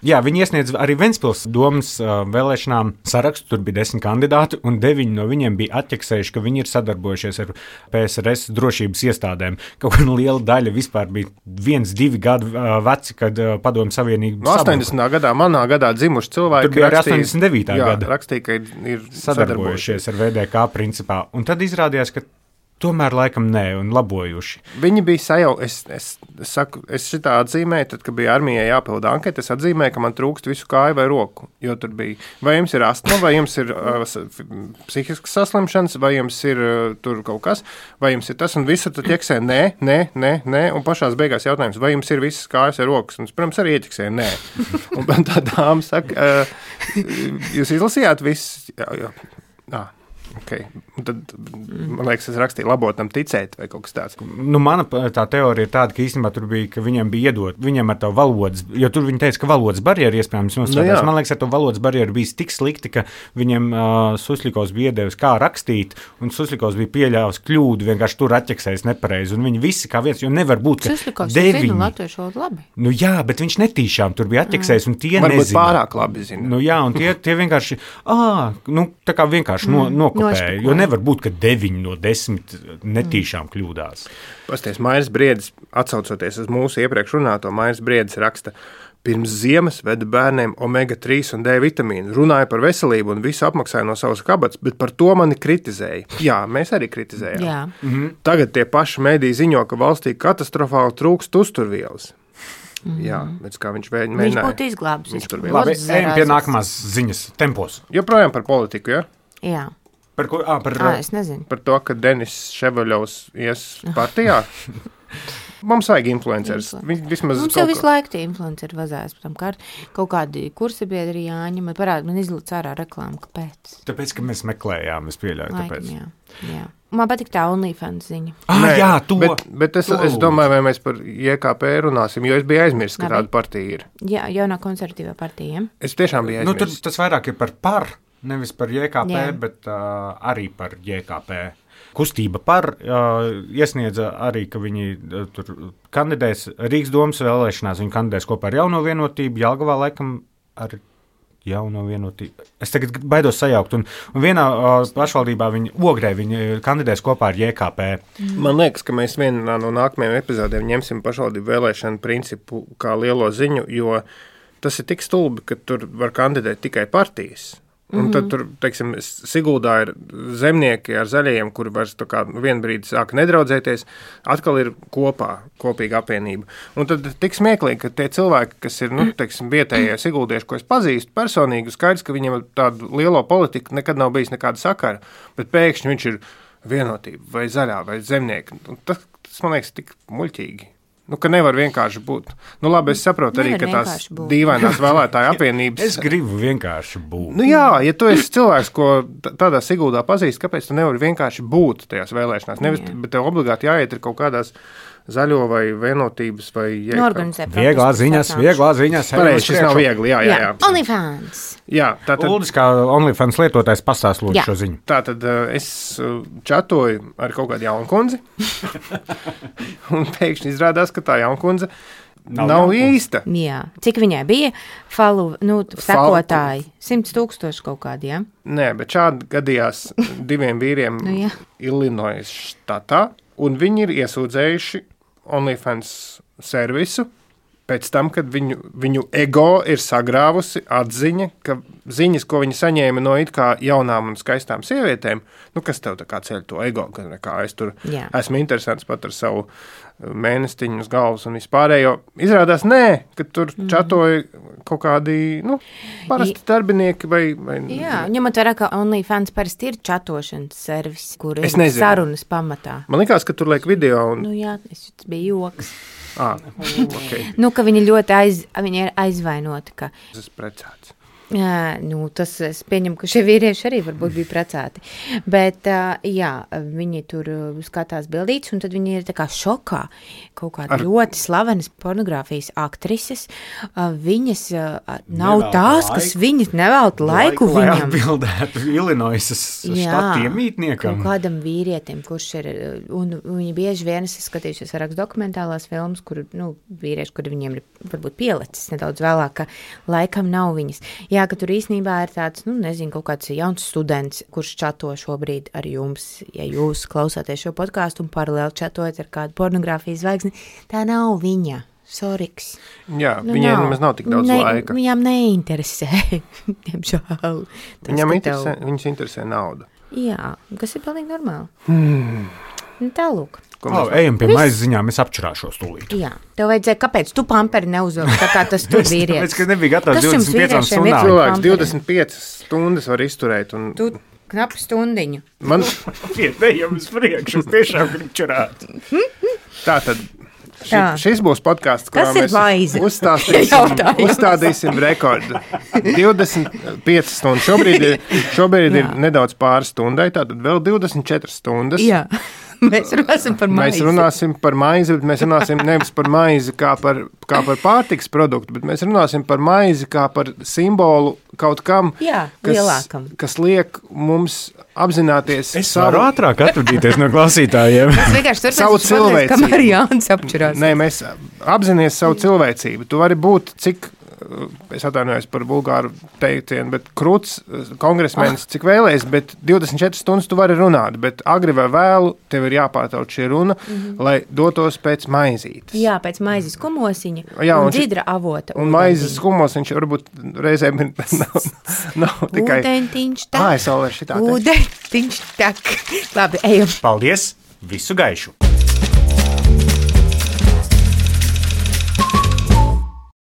Jā, viņi iesniedz arī Ventspils domas uh, vēlēšanām sarakstu, tur bija desmit kandidāti, un deviņi no viņiem bija atķeksējuši, ka viņi ir sadarbojušies ar P S R S drošības iestādēm. Kaut kāda liela daļa vispār bija viens, divi gadi uh, veci, kad uh, Padomju Savienība no astoņdesmitā gadā, manā gadā dzimuši cilvēki. Tur bija arī rakstīja, astoņdesmit devītā jā, gada. Rakstīja, ka ir, ir sadarbojušies ar V D K principā, un tad izrādījās, ka tomēr laikam nē, un labojuši. Viņi bija sajau, es, es, es saku, es šitā atzīmēju, tad, kad bija armijai jāpilda anketa, es atzīmēju, ka man trūkst visu kāju vai roku, jo tur bija, vai jums ir astma, vai jums ir uh, psihiskas saslimšanas, vai jums ir uh, tur kaut kas, vai jums ir tas, un visu tad ieksē nē, nē, nē, nē, un pašās beigās jautājums, vai jums ir visas kājas vai rokas, un es, protams, arī ieķeksē nē. Un tā dāma saka, uh, jūs izlasījāt viss? Jā, jā. jā. Okay. Tad, man liekas, es rakstīju labotam ticēt vai kaut kas tāds. Nu, mana tā teorija ir tāda, ka īstenībā tur bija, ka viņiem bija iedot, viņiem ar to valodas, jo tur viņi teica, ka valodas barjeri iespējams nostrādās. Nu, man liekas, ar to valodas barjeri bija tik slikti, ka viņiem uh, Susļikovs bija iedevis, kā rakstīt, un Susļikovs bija pieļāvis kļūdu, vienkārši tur atķeksējis nepareizi, un viņi visi kā viens, jo nevar būt, ka Susļikovs deviņi. zina latviešu valodu labi. Nu jā, bet viņš netīšām tur bija atķeksējis, un tie Varbūt nezina. pārāk labi zina. Nu jā, un tie, tie vienkārši, ā, nu, tā kā vienkārši no, nokopēja, jo nevar būt, ka deviņi no desmit netīšām kļūdās. Pasties, Mairis Briedis, atsaucoties uz mūsu iepriekš runāto, Mairis Briedis raksta, Pirms ziemas veda bērniem omega trīs un D vitamīnu, runāja par veselību un visu apmaksāja no savas kabatas, bet par to mani kritizēja. Jā, mēs arī kritizējām. Jā. Mhm. Tagad tie paši mediji ziņo, ka valstī katastrofāli trūkst uzturvielas. Mm-hmm. Jā, bet kā viņš mēģināja. Viņš būtu izglābis. Labi, ejam pie nākamās ziņas tempos. Joprojām par politiku, ja? Jā. Par ko? Ā, par, Ā, es nezinu. Par to, ka Denis Ševaļovs ies partijā. Mums vajag influenceris. Vismaz Mums jau visu laiku tie influenceri vazājas par tam kārt. Kaut kādi kursabiedri jāņem. Parādi, man izlūdz ārā reklāmu. Kāpēc? Tāpēc, ka mēs meklējām, es pieļauju. Laikam, Tāpēc. Jā, jā. Man patīk tā OnlyFans ziņa. Ah, Nē, jā, to. Bet, bet es, to. es domāju, vai mēs par J K P runāsim, jo es biju aizmirsis, ka Labi. tāda partija ir. Jā, jaunā konservatīvā partija. Es tiešām biju Nu, tur aizmirsis. tas vairāk ir par par, nevis par J K P, Jā. bet uh, arī par J K P. Kustība par uh, iesniedza arī, ka viņi uh, tur kandidēs Rīgas domas vēlēšanās, viņi kandidēs kopā ar Jauno vienotību, Jelgavā laikam ar Jauno vienotību. Es tagad baidos sajaukt, un, un vienā uh, pašvaldībā viņi Ogrē, viņi kandidēs kopā ar J K P. Man liekas, ka mēs vienā no nākamajiem epizodiem ņemsim pašvaldību vēlēšanu principu kā lielo ziņu, jo tas ir tik stulbi, ka tur var kandidēt tikai partijas. Un tad tur, teiksim, Siguldā ir zemnieki ar zaļajiem, kuri vairs tā kā vienu brīdi sāk nedraudzēties, atkal ir kopā, kopīga apvienība. Un tad tik smieklīgi, ka tie cilvēki, kas ir, nu, teiksim, vietējie siguldieši, ko es pazīstu personīgi, skaidrs, ka viņiem tādu lielo politiku nekad nav bijis nekāda sakara, bet pēkšņi viņš ir vienotība vai zaļā vai zemnieki. Un tas, tas, man liekas, tik muļķīgi. Nu, ka nevar vienkārši būt. Nu, labi, es saprotu arī, Nevar ka tās vienkārši būt. dīvainās vēlētāju apvienības. Es gribu vienkārši būt. Nu jā, ja tu esi cilvēks, ko t- tādā Siguldā pazīst, kāpēc tu nevari vienkārši būt tajās vēlēšanās? Nevis, Jā. bet tev obligāti jāiet ir kaut kādās zaļo vai vienotības vai... Nu, organizē Vieglā protestus, ziņās, atnākšu. vieglā ziņās. Pareizi, šis nav viegli, jā, jā, jā. OnlyFans. Jā, tātad, Uldis kā OnlyFans lietotājs pastāst lūdzu Jā. šo ziņu. tātad uh, es uh, čatoju ar kaut kādu jaunu kundzi, un pēkšņi izrādās, ka tā jauna kundze Nav nav, nav jaunkundze. īsta. Jā. Cik viņai bija falu, nu, sekotāji? Simts tūkstoši kaut kādi, jā? Nē, bet šādi gadījās diviem vīriem Nu, jā. Illinois štatā, un viņi ir iesūdzējuši OnlyFans servisu pēc tam, kad viņu, viņu ego ir sagrāvusi atziņa, ka ziņas, ko viņi saņēma no it kā jaunām un skaistām sievietēm, nu, kas tev tā kā ceļ to ego, ka nekā es tur Jā. esmu interesants pat ar savu mēnestiņu uz galvas un vispārējo. Izrādās, nē, ka tur Mhm. čatoja kaut kādi, nu, parasti darbinieki vai... vai Jā, ņemot vērā, ka OnlyFans parasti ir čatošanas servis, kur ir Es nezinu. sarunas pamatā. Man likās, ka tur liek video un... Nu jā, tas bija joks. Ah, okay. Nu, ka viņi ļoti aiz, viņi ir aizvainoti, ka Es esmu precēts. Jā, nu, tas es pieņemu, ka šie vīrieši arī varbūt bija precēti. Bet, ā, jā, viņi tur skatās bildītes, un tad viņi ir tā kā šokā. Kaut kāda Ar- ļoti slavenas pornogrāfijas aktrises. ā, Viņas ā, nav Nevelta tās, kas laiku. viņas nevelta laiku lai viņam. atbildētu Illinoisas štata iemītniekam. kaut kādam vīrietim, kurš ir, un viņi bieži vien, es skatījušies vairākas dokumentālās filmas, kur, nu, vīrieši, kuri viņiem ir varbūt pielicis nedaudz vēlāk, ka laikam nav viņas. Jā, ka tur īstenībā ir tāds, nu, nezinu, kaut kāds jauns students, kurš čato šobrīd ar jums, ja jūs klausāties šo podkāstu un paralēli čatojat ar kādu pornogrāfijas zvaigzni, tā nav viņa. Soriks. Jā, Nu, viņiem nav. nemaz nav tik daudz ne, laika. Viņām neinteresē, diemžēl. Tas, Viņam ka interesē, tev- viņus interesē nauda. Jā, kas ir pilnīgi normāli. Hmm. Nu, tālūk. Ko Oh, mēs- ejam pie Viss. maizes ziņām, es apčurāšos tūlīt. Jā, tev vajadzēja, kāpēc tu pamperi neuzvilki, tā kā tas tur vīrietis. Tāpēc, ka nebija gatavs Kas jums divdesmit piecām vīriešiem ir? stundām. Cilvēks pamperi. divdesmit piecas stundas var izturēt. Un Tu knapi stundiņu. man Iet, ejam uz priekšu, es tiešām gribu čurāt. tā tad. Ši, Tā. šis būs podkāsts, kurā Kas ir mēs maize? uzstāstīsim, Jautājums. uzstādīsim rekordu. divdesmit piecas stundas. Šobrīd, ir, šobrīd ir Jā. nedaudz pāri stundai, tātad vēl divdesmit četras stundas. Jā, mēs runāsim par maizi. Mēs runāsim par maizi, bet mēs runāsim nevis par maizi kā par, kā par pārtiks produktu, bet mēs runāsim par maizi kā par simbolu kaut kam, Jā, kas, lielākam. kas liek mums apzināties Es varu ātrāk atvadīties no klausītājiem. Es vienkārši savu turpināšu pateikt, cilvēcību. kamēr Jānis apčurās. Nē, mēs apzināmies savu cilvēcību. Tu vari būt cik es atvainojos par bulgāru teicienu, bet krūts kongresmenis, cik vēlēs, bet divdesmit četras stundas tu vari runāt, bet agri vai vēlu tev ir jāpārtauc šī runa, mm-hmm. lai dotos pēc maizītes. Jā, pēc maizes kumosiņa Jā, un, un dzidra avota. Un maizes kumosiņš varbūt reizēm ir nav, nav tikai... Ūdentiņš tak. Ā, es vēl var šitā teikt. Ūdentiņš tak. Labi, ejam. Paldies! Visu gaišu!